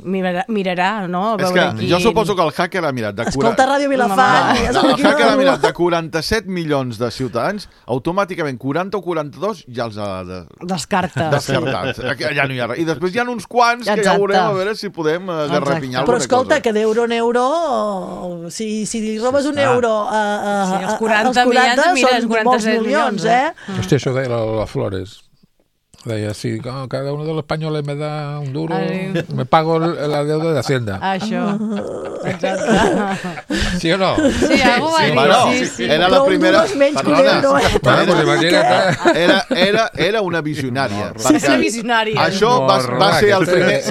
mirarà, no? És que jo suposo que el hacker ha mirat de... Escolta Ràdio Vilafant. El hacker ha mirat de 47 milions de ciutadans, automàticament 40 o 42 ja els ha descartat. Ja no hi ha res. I després hi ha uns quants que ja veurem a veure si podem garrapinyar alguna cosa. Però escolta, que d'euro en euro, si li robes un euro als 40 són molts milions, Hòstia, això deia la Flores. Deia, si cada uno de los españoles me da un duro, me pago la deuda de Hacienda. Això. ¿Sí o no? Sí, algo va dir. Sí. Era la primera... Era una visionària. Sí, una visionària. Això va ser el primer...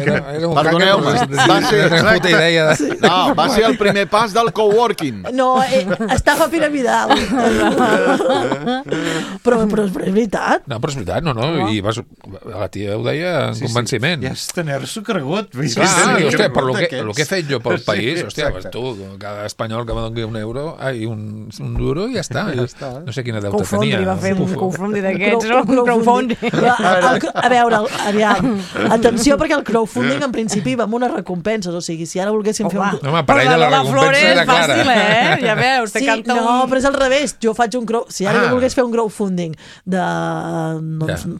Perdoneu-me. Va ser el primer pas del coworking. No, estafa piramidal. Però és veritat. No, però és veritat, no. I vas La tia ho deia en convenciment. Ja és tenir-s'ho cregut. Hòstia, per lo que he fet jo pel país, hòstia, tu, cada espanyol que me doni un euro, un duro, i ja està. No sé quina deute tenia. Va fer un crowdfunding d'aquests, un crowdfunding. A veure, aviam, atenció, perquè el crowdfunding en principi va amb unes recompenses, o sigui, si ara volguéssim fer un... No, per ella la recompensa era clara. Fàcil, ja veus, te canta un... No, però és al revés, jo faig un crowdfunding, si ara jo volgués fer un crowdfunding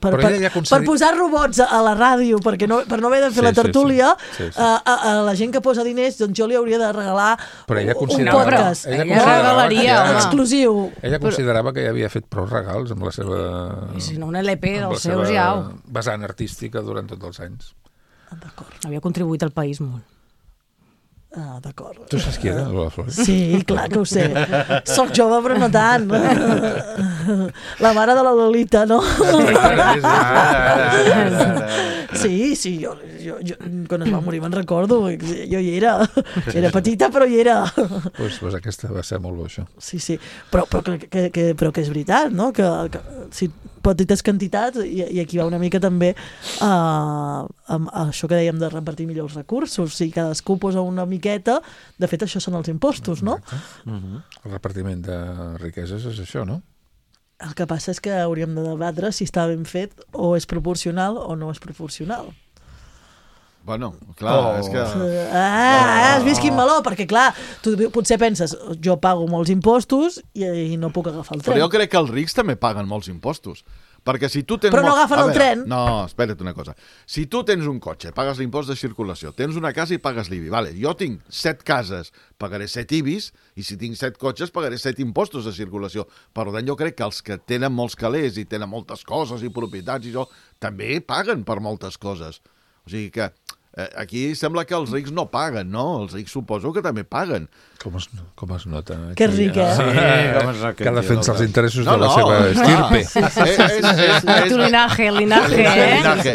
per posar robots a la ràdio per no haver de fer la tertúlia, a la gent que posa diners, doncs jo li hauria de regalar un podcast exclusiu. Ella considerava que ja havia fet prou regals amb la seva... Si no, un LP dels seus ja... vessant artística durant tots els anys. D'acord. Havia contribuït al país molt. Ah, d'acord. Tu saps qui era, Lola Flores? Sí, clar que ho sé. Soc jove, però no tant. La mare de la Lolita, no? Sí, jo quan es va morir me'n recordo. Jo hi era. Era petita, però hi era. Pues aquesta va ser molt bo, això. Sí. Però que és veritat, no? Que si petites quantitats, i aquí va una mica també amb això que dèiem de repartir millor els recursos. Si cadascú posa una miqueta, de fet això són els impostos, no? El repartiment de riqueses és això, no? El que passa és que hauríem de debatre si està ben fet o és proporcional o no és proporcional. Bueno, clar, és que... Has vist quin meló? Perquè, clar, tu potser penses, jo pago molts impostos i no puc agafar el tren. Però jo crec que els rics també paguen molts impostos. Perquè si tu tens... Però no agafen el tren. No, espera't una cosa. Si tu tens un cotxe, pagues l'impost de circulació, tens una casa i pagues l'IBI. Vale, jo tinc 7 cases, pagaré 7 IBIs, i si tinc 7 cotxes, pagaré 7 impostos de circulació. Per tant, jo crec que els que tenen molts calés i tenen moltes coses i propietats i això, també paguen per moltes coses. O sigui que... Aquí sembla que els rics no paguen, no? Els rics suposo que també paguen. Com es nota? Aquí, que ric, Sí, que defensa els interessos de la seva estirpe. Tu linaje,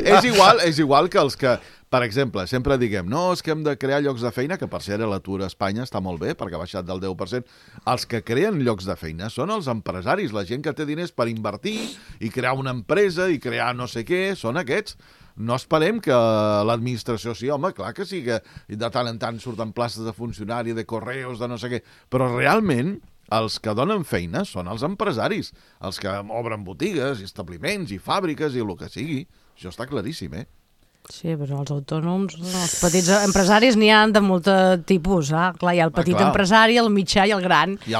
És igual que els que, per exemple, sempre diguem, no, és que hem de crear llocs de feina, que per cert l'atur a Espanya està molt bé, perquè ha baixat del 10%. Els que creen llocs de feina són els empresaris, la gent que té diners per invertir i crear una empresa i crear no sé què, són aquests. No esperem que l'administració sí, home, clar que sí, que de tant en tant surten places de funcionari, de correus, de no sé què, però realment els que donen feina són els empresaris, els que obren botigues, establiments i fàbriques i el que sigui. Això està claríssim, Sí, però els autònoms, els petits empresaris n'hi ha de molt tipus. Clar, hi ha el petit empresari, el mitjà i el gran. I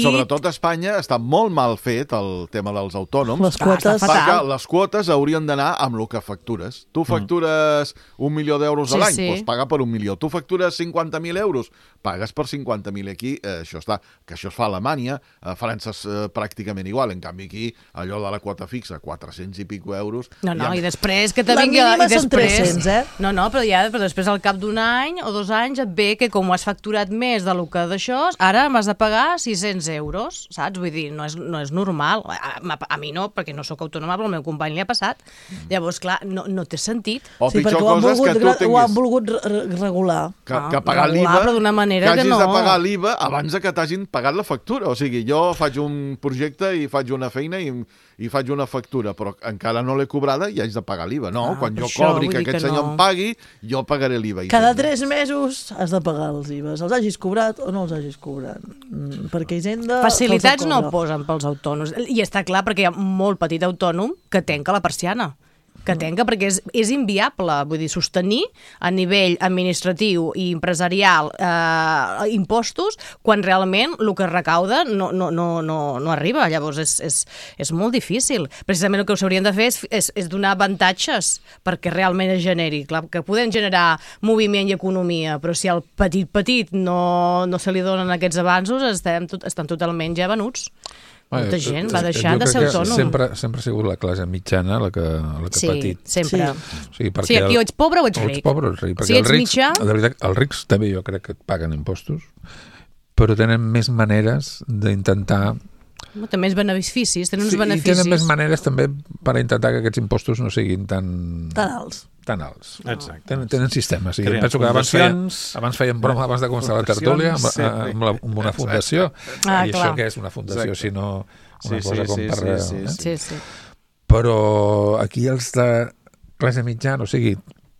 sobretot a Espanya està molt mal fet el tema dels autònoms. Les quotes. Perquè les quotes haurien d'anar amb el que factures. Tu factures 1 milió d'euros a l'any, doncs paga per 1 milió. Tu factures 50.000 euros, pagues per 50.000. Aquí això està, que això es fa a Alemanya, a França és pràcticament igual. En canvi aquí, allò de la quota fixa, 400 i pico euros. I després que te vingui... Són 300, No, però després al cap d'un any o 2 anys et ve que com has facturat més del que d'això, ara m'has de pagar 600 euros, saps? Vull dir, no és normal. A mi no, perquè no sóc autònoma, però al meu company li ha passat. Llavors, clar, no té sentit. Sí, perquè ho han volgut regular. Que pagar l'IVA, però d'una manera que no. Que hagis de pagar l'IVA abans que t'hagin pagat la factura. O sigui, jo faig un projecte i faig una feina i faig una factura, però encara no l'he cobrada i haig de pagar l'IVA. No, quan jo cobri que aquest senyor em pagui, jo pagaré l'IVA. Cada 3 mesos has de pagar els IVAs, els hagis cobrat o no els hagis cobrat. Perquè Hisenda... Facilitats no posen pels autònoms. I està clar perquè hi ha molt petit autònom que tanca la persiana. Perquè és inviable, vull dir, sostenir a nivell administratiu i empresarial impostos quan realment el que es recauda no arriba. Llavors és molt difícil. Precisament el que s'haurien de fer és donar avantatges perquè realment es generi. Clar, que podem generar moviment i economia, però si al petit no se li donen aquests avanços, estan totalment ja venuts. Molta gent va deixar de ser autònom. Sempre ha sigut la classe mitjana la que petit. Sempre. Sí, aquí o ets pobre o ets ric. Si ets mitjà... De veritat, els rics també jo crec que paguen impostos, però tenen més maneres d'intentar... Té més beneficis, tenen uns beneficis. I tenen més maneres també per intentar que aquests impostos no siguin tan alts. Exacte. Tenen sistemes. Jo penso que abans feien broma abans de començar la tertúlia amb una fundació. I això què és una fundació, sinó una cosa com per... Sí. Però aquí els de classe mitjana, o sigui,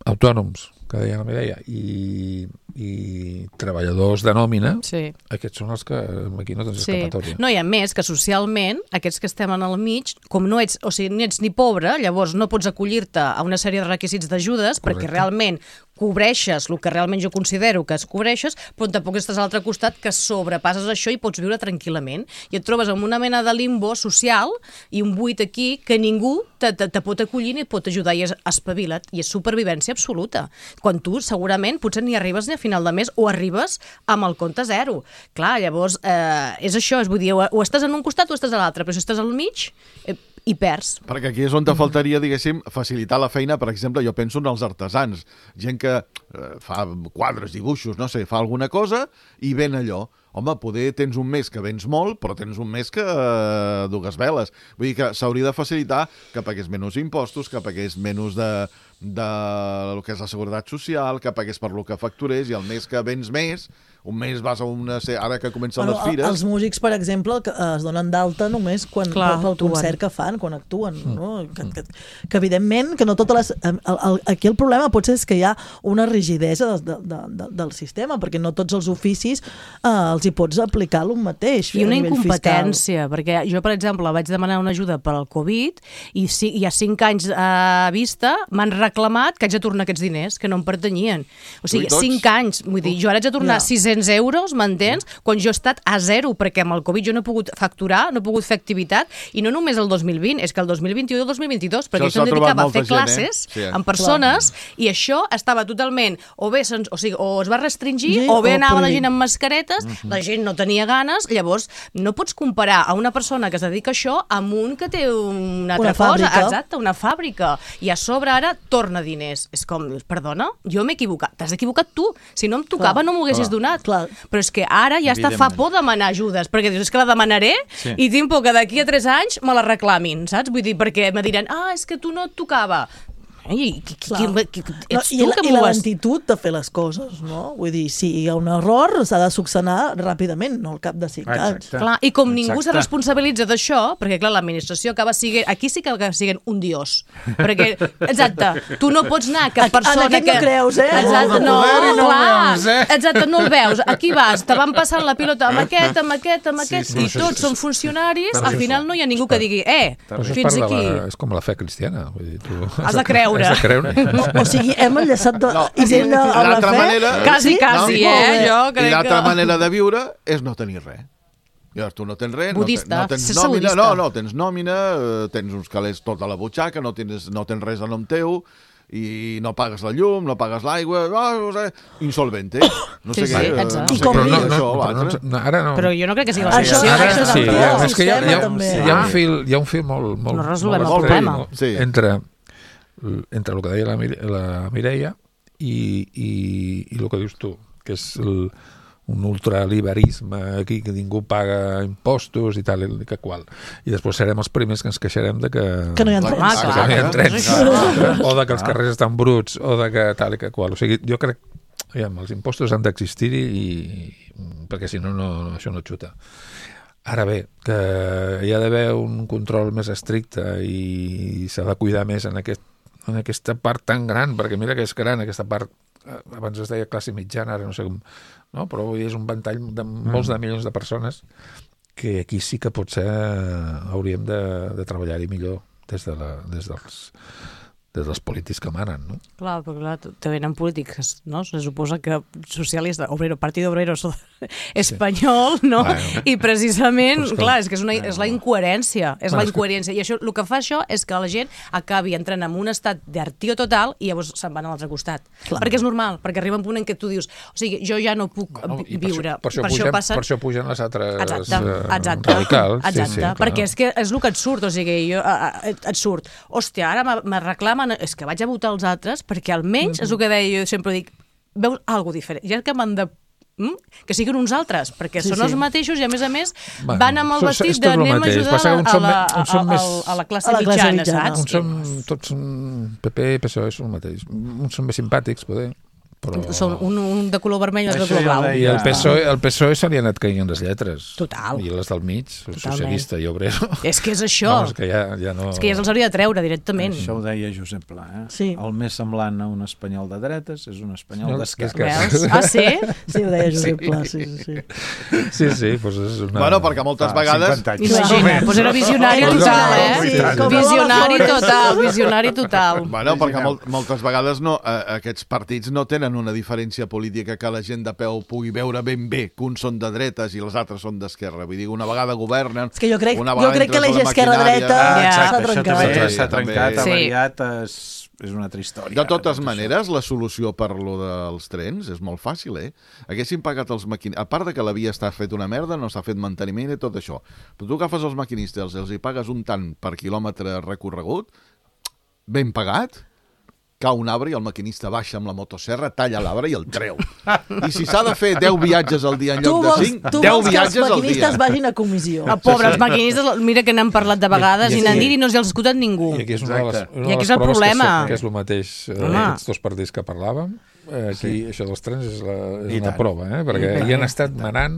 autònoms, que deia la Mireia, i treballadors de nòmina, aquests són els que aquí no tens escapatòria. No, i a més que socialment, aquests que estem en el mig, com no ets, o sigui, ni ets ni pobre, llavors no pots acollir-te a una sèrie de requisits d'ajudes perquè realment cobreixes el que realment jo considero que es cobreixes, però tampoc estàs a l'altre costat que sobrepasses això i pots viure tranquil·lament. I et trobes amb una mena de limbo social i un buit aquí que ningú te pot acollir ni et pot ajudar i és espavila't i és supervivència absoluta. Quan tu segurament potser ni arribes ni a final de mes o arribes amb el compte zero. Clar, llavors és això, és vull dir, o estàs en un costat o estàs a l'altre, però si estàs al mig i perds. Perquè aquí és on te faltaria, diguéssim, facilitar la feina, per exemple, jo penso en els artesans, gent que fa quadres, dibuixos, no sé, fa alguna cosa i ven allò. Home, poder tens un mes que vens molt, però tens un mes que dugues veles. Vull dir que s'hauria de facilitar que pagués menys impostos, que pagués menys de el que és la seguretat social, que pagués per lo que facturés, i el mes que vens més, un mes vas a una... Ara que comencen les fires... Els músics, per exemple, que es donen d'alta només pel concert que fan, quan actuen. No? Que evidentment, que no totes les... Aquí el problema potser és que hi ha una rigidesa del sistema, perquè no tots els oficis els hi pots aplicar el mateix. I una incompetència, perquè jo, per exemple, vaig demanar una ajuda per al Covid i hi ha 5 anys a vista m'han reclamat que haig de tornar aquests diners, que no em pertanyien. O sigui, 5 anys. Vull dir, jo ara haig de tornar 600 euros, m'entens? Quan jo he estat a zero, perquè amb el Covid jo no he pogut facturar, no he pogut fer activitat, i no només el 2020, és que el 2021 i el 2022, perquè jo em dedicava a fer classes amb persones, i això estava totalment, o es va restringir, o bé anava la gent amb mascaretes, la gent no tenia ganes, llavors no pots comparar a una persona que es dedica a això amb un que té una altra cosa, exacte, una fàbrica, i a sobre ara torna diners. És com, perdona, jo m'he equivocat. T'has equivocat tu. Si no em tocava no m'ho haguessis donat. Però és que ara ja fa por demanar ajudes, perquè dius, és que la demanaré i tinc por que d'aquí a 3 anys me la reclamin, saps? Vull dir, perquè me diran, és que tu no et tocava. I la lentitud de fer les coses, no? Vull dir, si hi ha un error s'ha de solucionar ràpidament, no al cap de 5 anys. Clar, i com ningú se responsabilitza d'això, perquè clar, l'administració acaba sent, aquí sí que acaba sent un dios, perquè, exacte, tu no pots anar a cap persona en aquest no creus, exacte, no, clar, exacte, no el veus, aquí vas, te van passant la pilota amb aquest, i tots són funcionaris, al final no hi ha ningú que digui, fins aquí. És com la fe cristiana, vull dir, tu has de creure. O sigui, hem enllaçat Hisenda a la fe. Quasi, I l'altra manera de viure és no tenir res. Llavors tu no tens res, budista, no tens nòmina, tens nòmina, tens uns calés tota la butxaca, no tens res a nom teu, i no pagues la llum, no pagues l'aigua, insolvente. No sé què. I com però jo no crec que sigui la solució. És que hi ha un fil molt... No resolvem el problema. Entre el que deia la Mireia i el que dius tu, que és un ultraliberisme aquí, que ningú paga impostos i tal, que qual. I després serem els primers que ens queixarem de que no hi ha trens, o de que els carrers estan bruts, o de que tal i que qual. O sigui, jo crec que els impostos han d'existir perquè si no, això no xuta. Ara bé, que hi ha d'haver un control més estricte i s'ha de cuidar més en aquesta part tan gran, perquè mira que és gran aquesta part, abans es deia classe mitjana, ara no sé com, no? Però és un ventall de molts de milions de persones que aquí sí que potser hauríem de treballar-hi millor des dels polítics que manen, no? Clar, perquè clar, te venen polítics, no? Se suposa que socialista, Partido Obrero espanyol, no? Bueno. I precisament, clar, és que és la incoherència, i això, el que fa això és que la gent acabi entrant en un estat d'hartio total i llavors se'n van a l'altre costat. Clar. Perquè és normal, perquè arriba un punt en què tu dius, o sigui, jo ja no puc viure. Per això pugen les altres radicals. Exacte, perquè és que és el que et surt, o sigui, et surt, hòstia, ara me reclamen, és que vaig a votar els altres perquè almenys, és el que deia, jo sempre dic, veus alguna diferent, ja que m'han de que siguin uns altres, perquè són els mateixos i a més van amb el vestit d'anem a ajudar a la classe mitjana, saps? Tots són PP i PSOE, són el mateix. Uns són més simpàtics, poder, Són un de color vermell i un de color blau. I el PSOE se li han anat caient les lletres. Total. I les del mig, socialista i obrero. És que és això. És que ja no... És que ja se'ls hauria de treure directament. Això ho deia Josep Pla, Sí. El més semblant a un espanyol de dretes és un espanyol d'esquerra. Ah, sí? Sí, ho deia Josep Pla, sí. Sí, doncs és una... Bueno, perquè moltes vegades... Imagina, doncs era visionari total, Visionari total. Bueno, perquè moltes vegades aquests partits no tenen una diferència política que la gent de peu pugui veure ben bé que uns són de dretes i els altres són d'esquerra. Vull dir, una vegada governen... És que jo crec que l'eix esquerra-dreta s'ha trencat. S'ha trencat, ha variat, és una altra història. De totes maneres, la solució per lo dels trens és molt fàcil, Haguessin pagat els maquinistes... A part de que la via està fet una merda, no s'ha fet manteniment i tot això. Però tu agafes els maquinistes, els hi pagues un tant per quilòmetre recorregut, ben pagat, cau un arbre i el maquinista baixa amb la motosserra, talla l'arbre i el treu. I si s'ha de fer 10 viatges al dia en lloc de 5, 10 viatges al dia. Tu vols que els maquinistes vagin a comissió. Pobres maquinistes, mira que n'han parlat de vegades i n'han dit i no els ha escoltat ningú. I aquí és una de les proves problema. Que és el mateix aquests dos partits que parlàvem. Aquí això dels trens és una prova, perquè hi han estat manant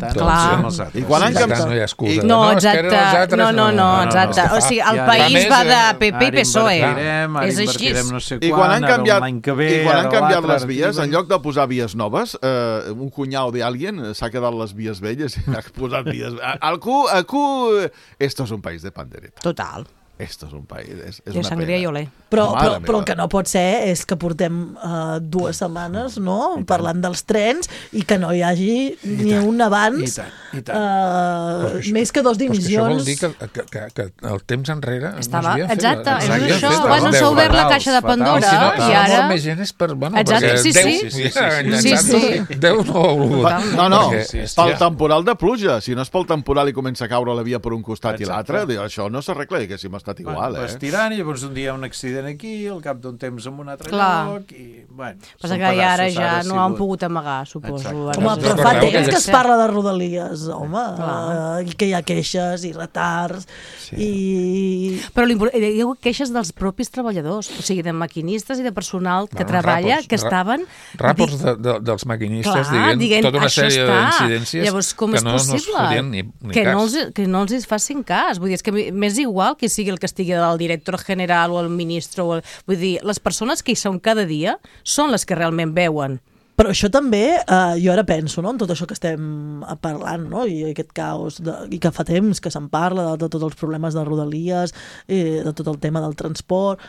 i quan han canviat no hi ha excusa. No, exacte. No, exacte. O sigui, el país va de PP i PSOE. És així. I quan han canviat les vies, en lloc de posar vies noves, un cunyau d'algien s'ha quedat les vies velles i ha posat vies... Esto es un país de pandereta. Total. Esto és un país, és una sangria i olé. Però el que no pot ser és que portem 2 setmanes parlant dels trens i que no hi hagi ni un abans més que 2 dimissions. Això vol dir que el temps enrere estava, exacte, és això. Abans no s'ha obert la caixa de Pandora i ara... Més gent és per... Sí. Déu no ho ha volgut. No, pel temporal de pluja. Si no és pel temporal i comença a caure la via per un costat i l'altre, això no s'arregla, diguéssim, estat igual, Vas tirant i llavors un dia un accident aquí, al cap d'un temps en un altre lloc i, bueno... Passa que ara ja no han pogut amagar, suposo. Home, però fa temps que es parla de Rodalies, home, i que hi ha queixes i retards i... Però hi ha queixes dels propis treballadors, o sigui, de maquinistes i de personal que treballa, que estaven... Ràports dels maquinistes dient tota una sèrie d'incidències que no es fotien ni cas. Que no els facin cas. Vull dir, és que m'és igual que sigui el que estigui el director general o el ministre. Vull dir, les persones que hi són cada dia són les que realment veuen. Però això també, jo ara penso, en tot això que estem parlant, i aquest caos, i que fa temps que se'n parla de tots els problemes de Rodalies, de tot el tema del transport,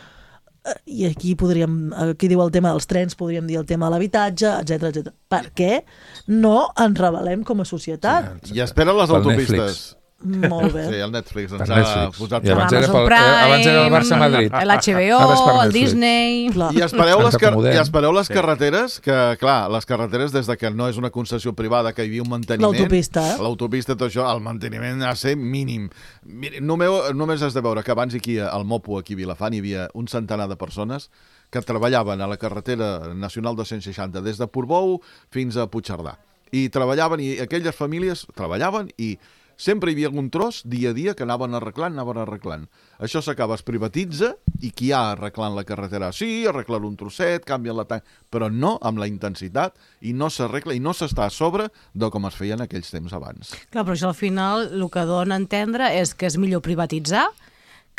i aquí diu el tema dels trens, podríem dir el tema de l'habitatge, etc. Per què no ens rebel·lem com a societat? I espera les autopistes. Molt bé. Sí, el Netflix ens ha posat... I abans era el Barça-Madrid. L'HBO, el Disney... I espereu les carreteres, que clar, les carreteres des de que no és una concessió privada, que hi havia un manteniment... L'autopista, tot això, el manteniment ha de ser mínim. Només has de veure que abans aquí al Mopo, aquí a Vilafant, hi havia un centenar de persones que treballaven a la carretera nacional 260 des de Portbou fins a Puigcerdà. I treballaven, i aquelles famílies treballaven i sempre hi havia algun tros, dia a dia, que anaven arreglant. Això s'acaba, es privatitza, i qui ha arreglant la carretera? Sí, arreglar un trosset, canvien la tanca, però no amb la intensitat, i no s'arregla, i no s'està a sobre de com es feia en aquells temps abans. Clar, però això al final el que dona a entendre és que és millor privatitzar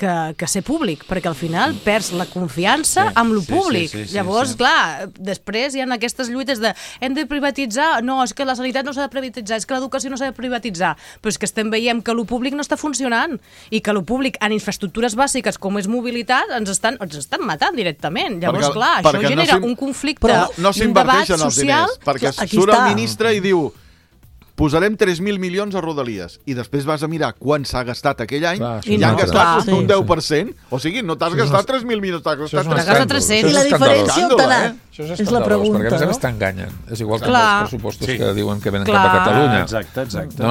que ser públic, perquè al final perds la confiança amb lo públic. Llavors, clar, després hi ha aquestes lluites de hem de privatitzar, no, és que la sanitat no s'ha de privatitzar, és que l'educació no s'ha de privatitzar, però és que estem veient que lo públic no està funcionant i que lo públic en infraestructures bàsiques com és mobilitat ens estan matant directament. Llavors, clar, això genera un conflicte, un debat social... Perquè surt el ministre i diu posarem 3.000 milions a Rodalies i després vas a mirar quan s'ha gastat aquell any i han gastat un 10%. O sigui, no t'has gastat 3.000 milions, t'has gastat 300. I la diferència on t'ha anat? Això és la pregunta, perquè a més t'enganyen. És igual que els pressupostos que diuen que venen cap a Catalunya. Exacte.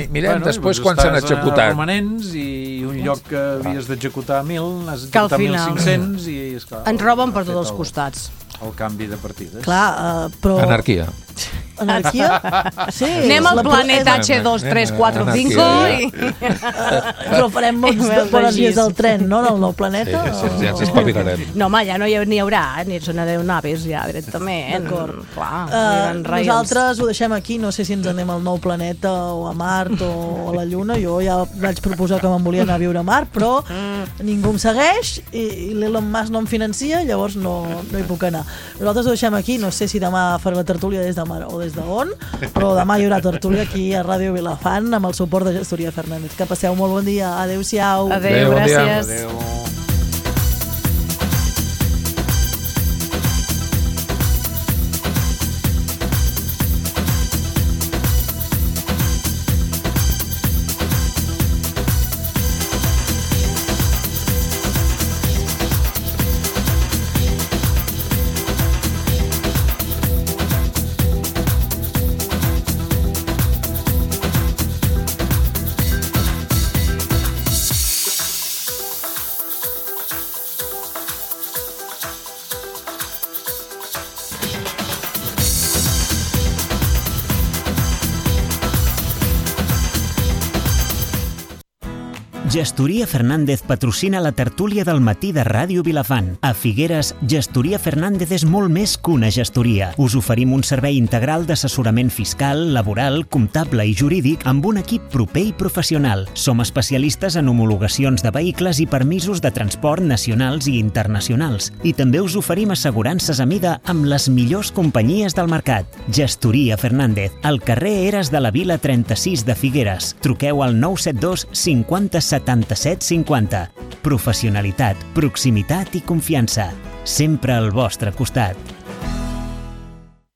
Mirem després quan s'han executat. Estàs romanents i un lloc que havies d'executar 1.000, n'has d'executar 1.500 i... Ens roben per tots els costats. El canvi de partides. Clar, però... Anarquia. Anarquia? Sí. Anem al planeta H2345 i... Però farem bones dies del tren, no?, del nou planeta. Sí, ja ens espavilarem. No, home, ja no n'hi haurà, ni són aeronaves ja, directament. D'acord. Clar, nosaltres ho deixem aquí, no sé si ens anem al nou planeta o a Mart o a la Lluna. Jo ja vaig proposar que me'n volia anar a viure a Mart, però ningú em segueix i l'Elon Musk no em financia, llavors no hi puc anar. Nosaltres ho deixem aquí, no sé si demà faré la tertúlia des de Mar o des d'on, però demà hi haurà tertúlia aquí a Ràdio Vilafant amb el suport de Gestoria Fernández. Que passeu molt bon dia. Adéu-siau. Adéu, gràcies. Adéu. Gestoria Fernández patrocina la tertúlia del matí de Ràdio Vilafant. A Figueres, Gestoria Fernández és molt més que una gestoria. Us oferim un servei integral d'assessorament fiscal, laboral, comptable i jurídic amb un equip proper i professional. Som especialistes en homologacions de vehicles i permisos de transport nacionals i internacionals. I també us oferim assegurances a mida amb les millors companyies del mercat. Gestoria Fernández, al carrer Eres de la Vila 36 de Figueres. Truqueu al 972 50 77 50. Professionalitat, proximitat i confiança. Sempre al vostre costat.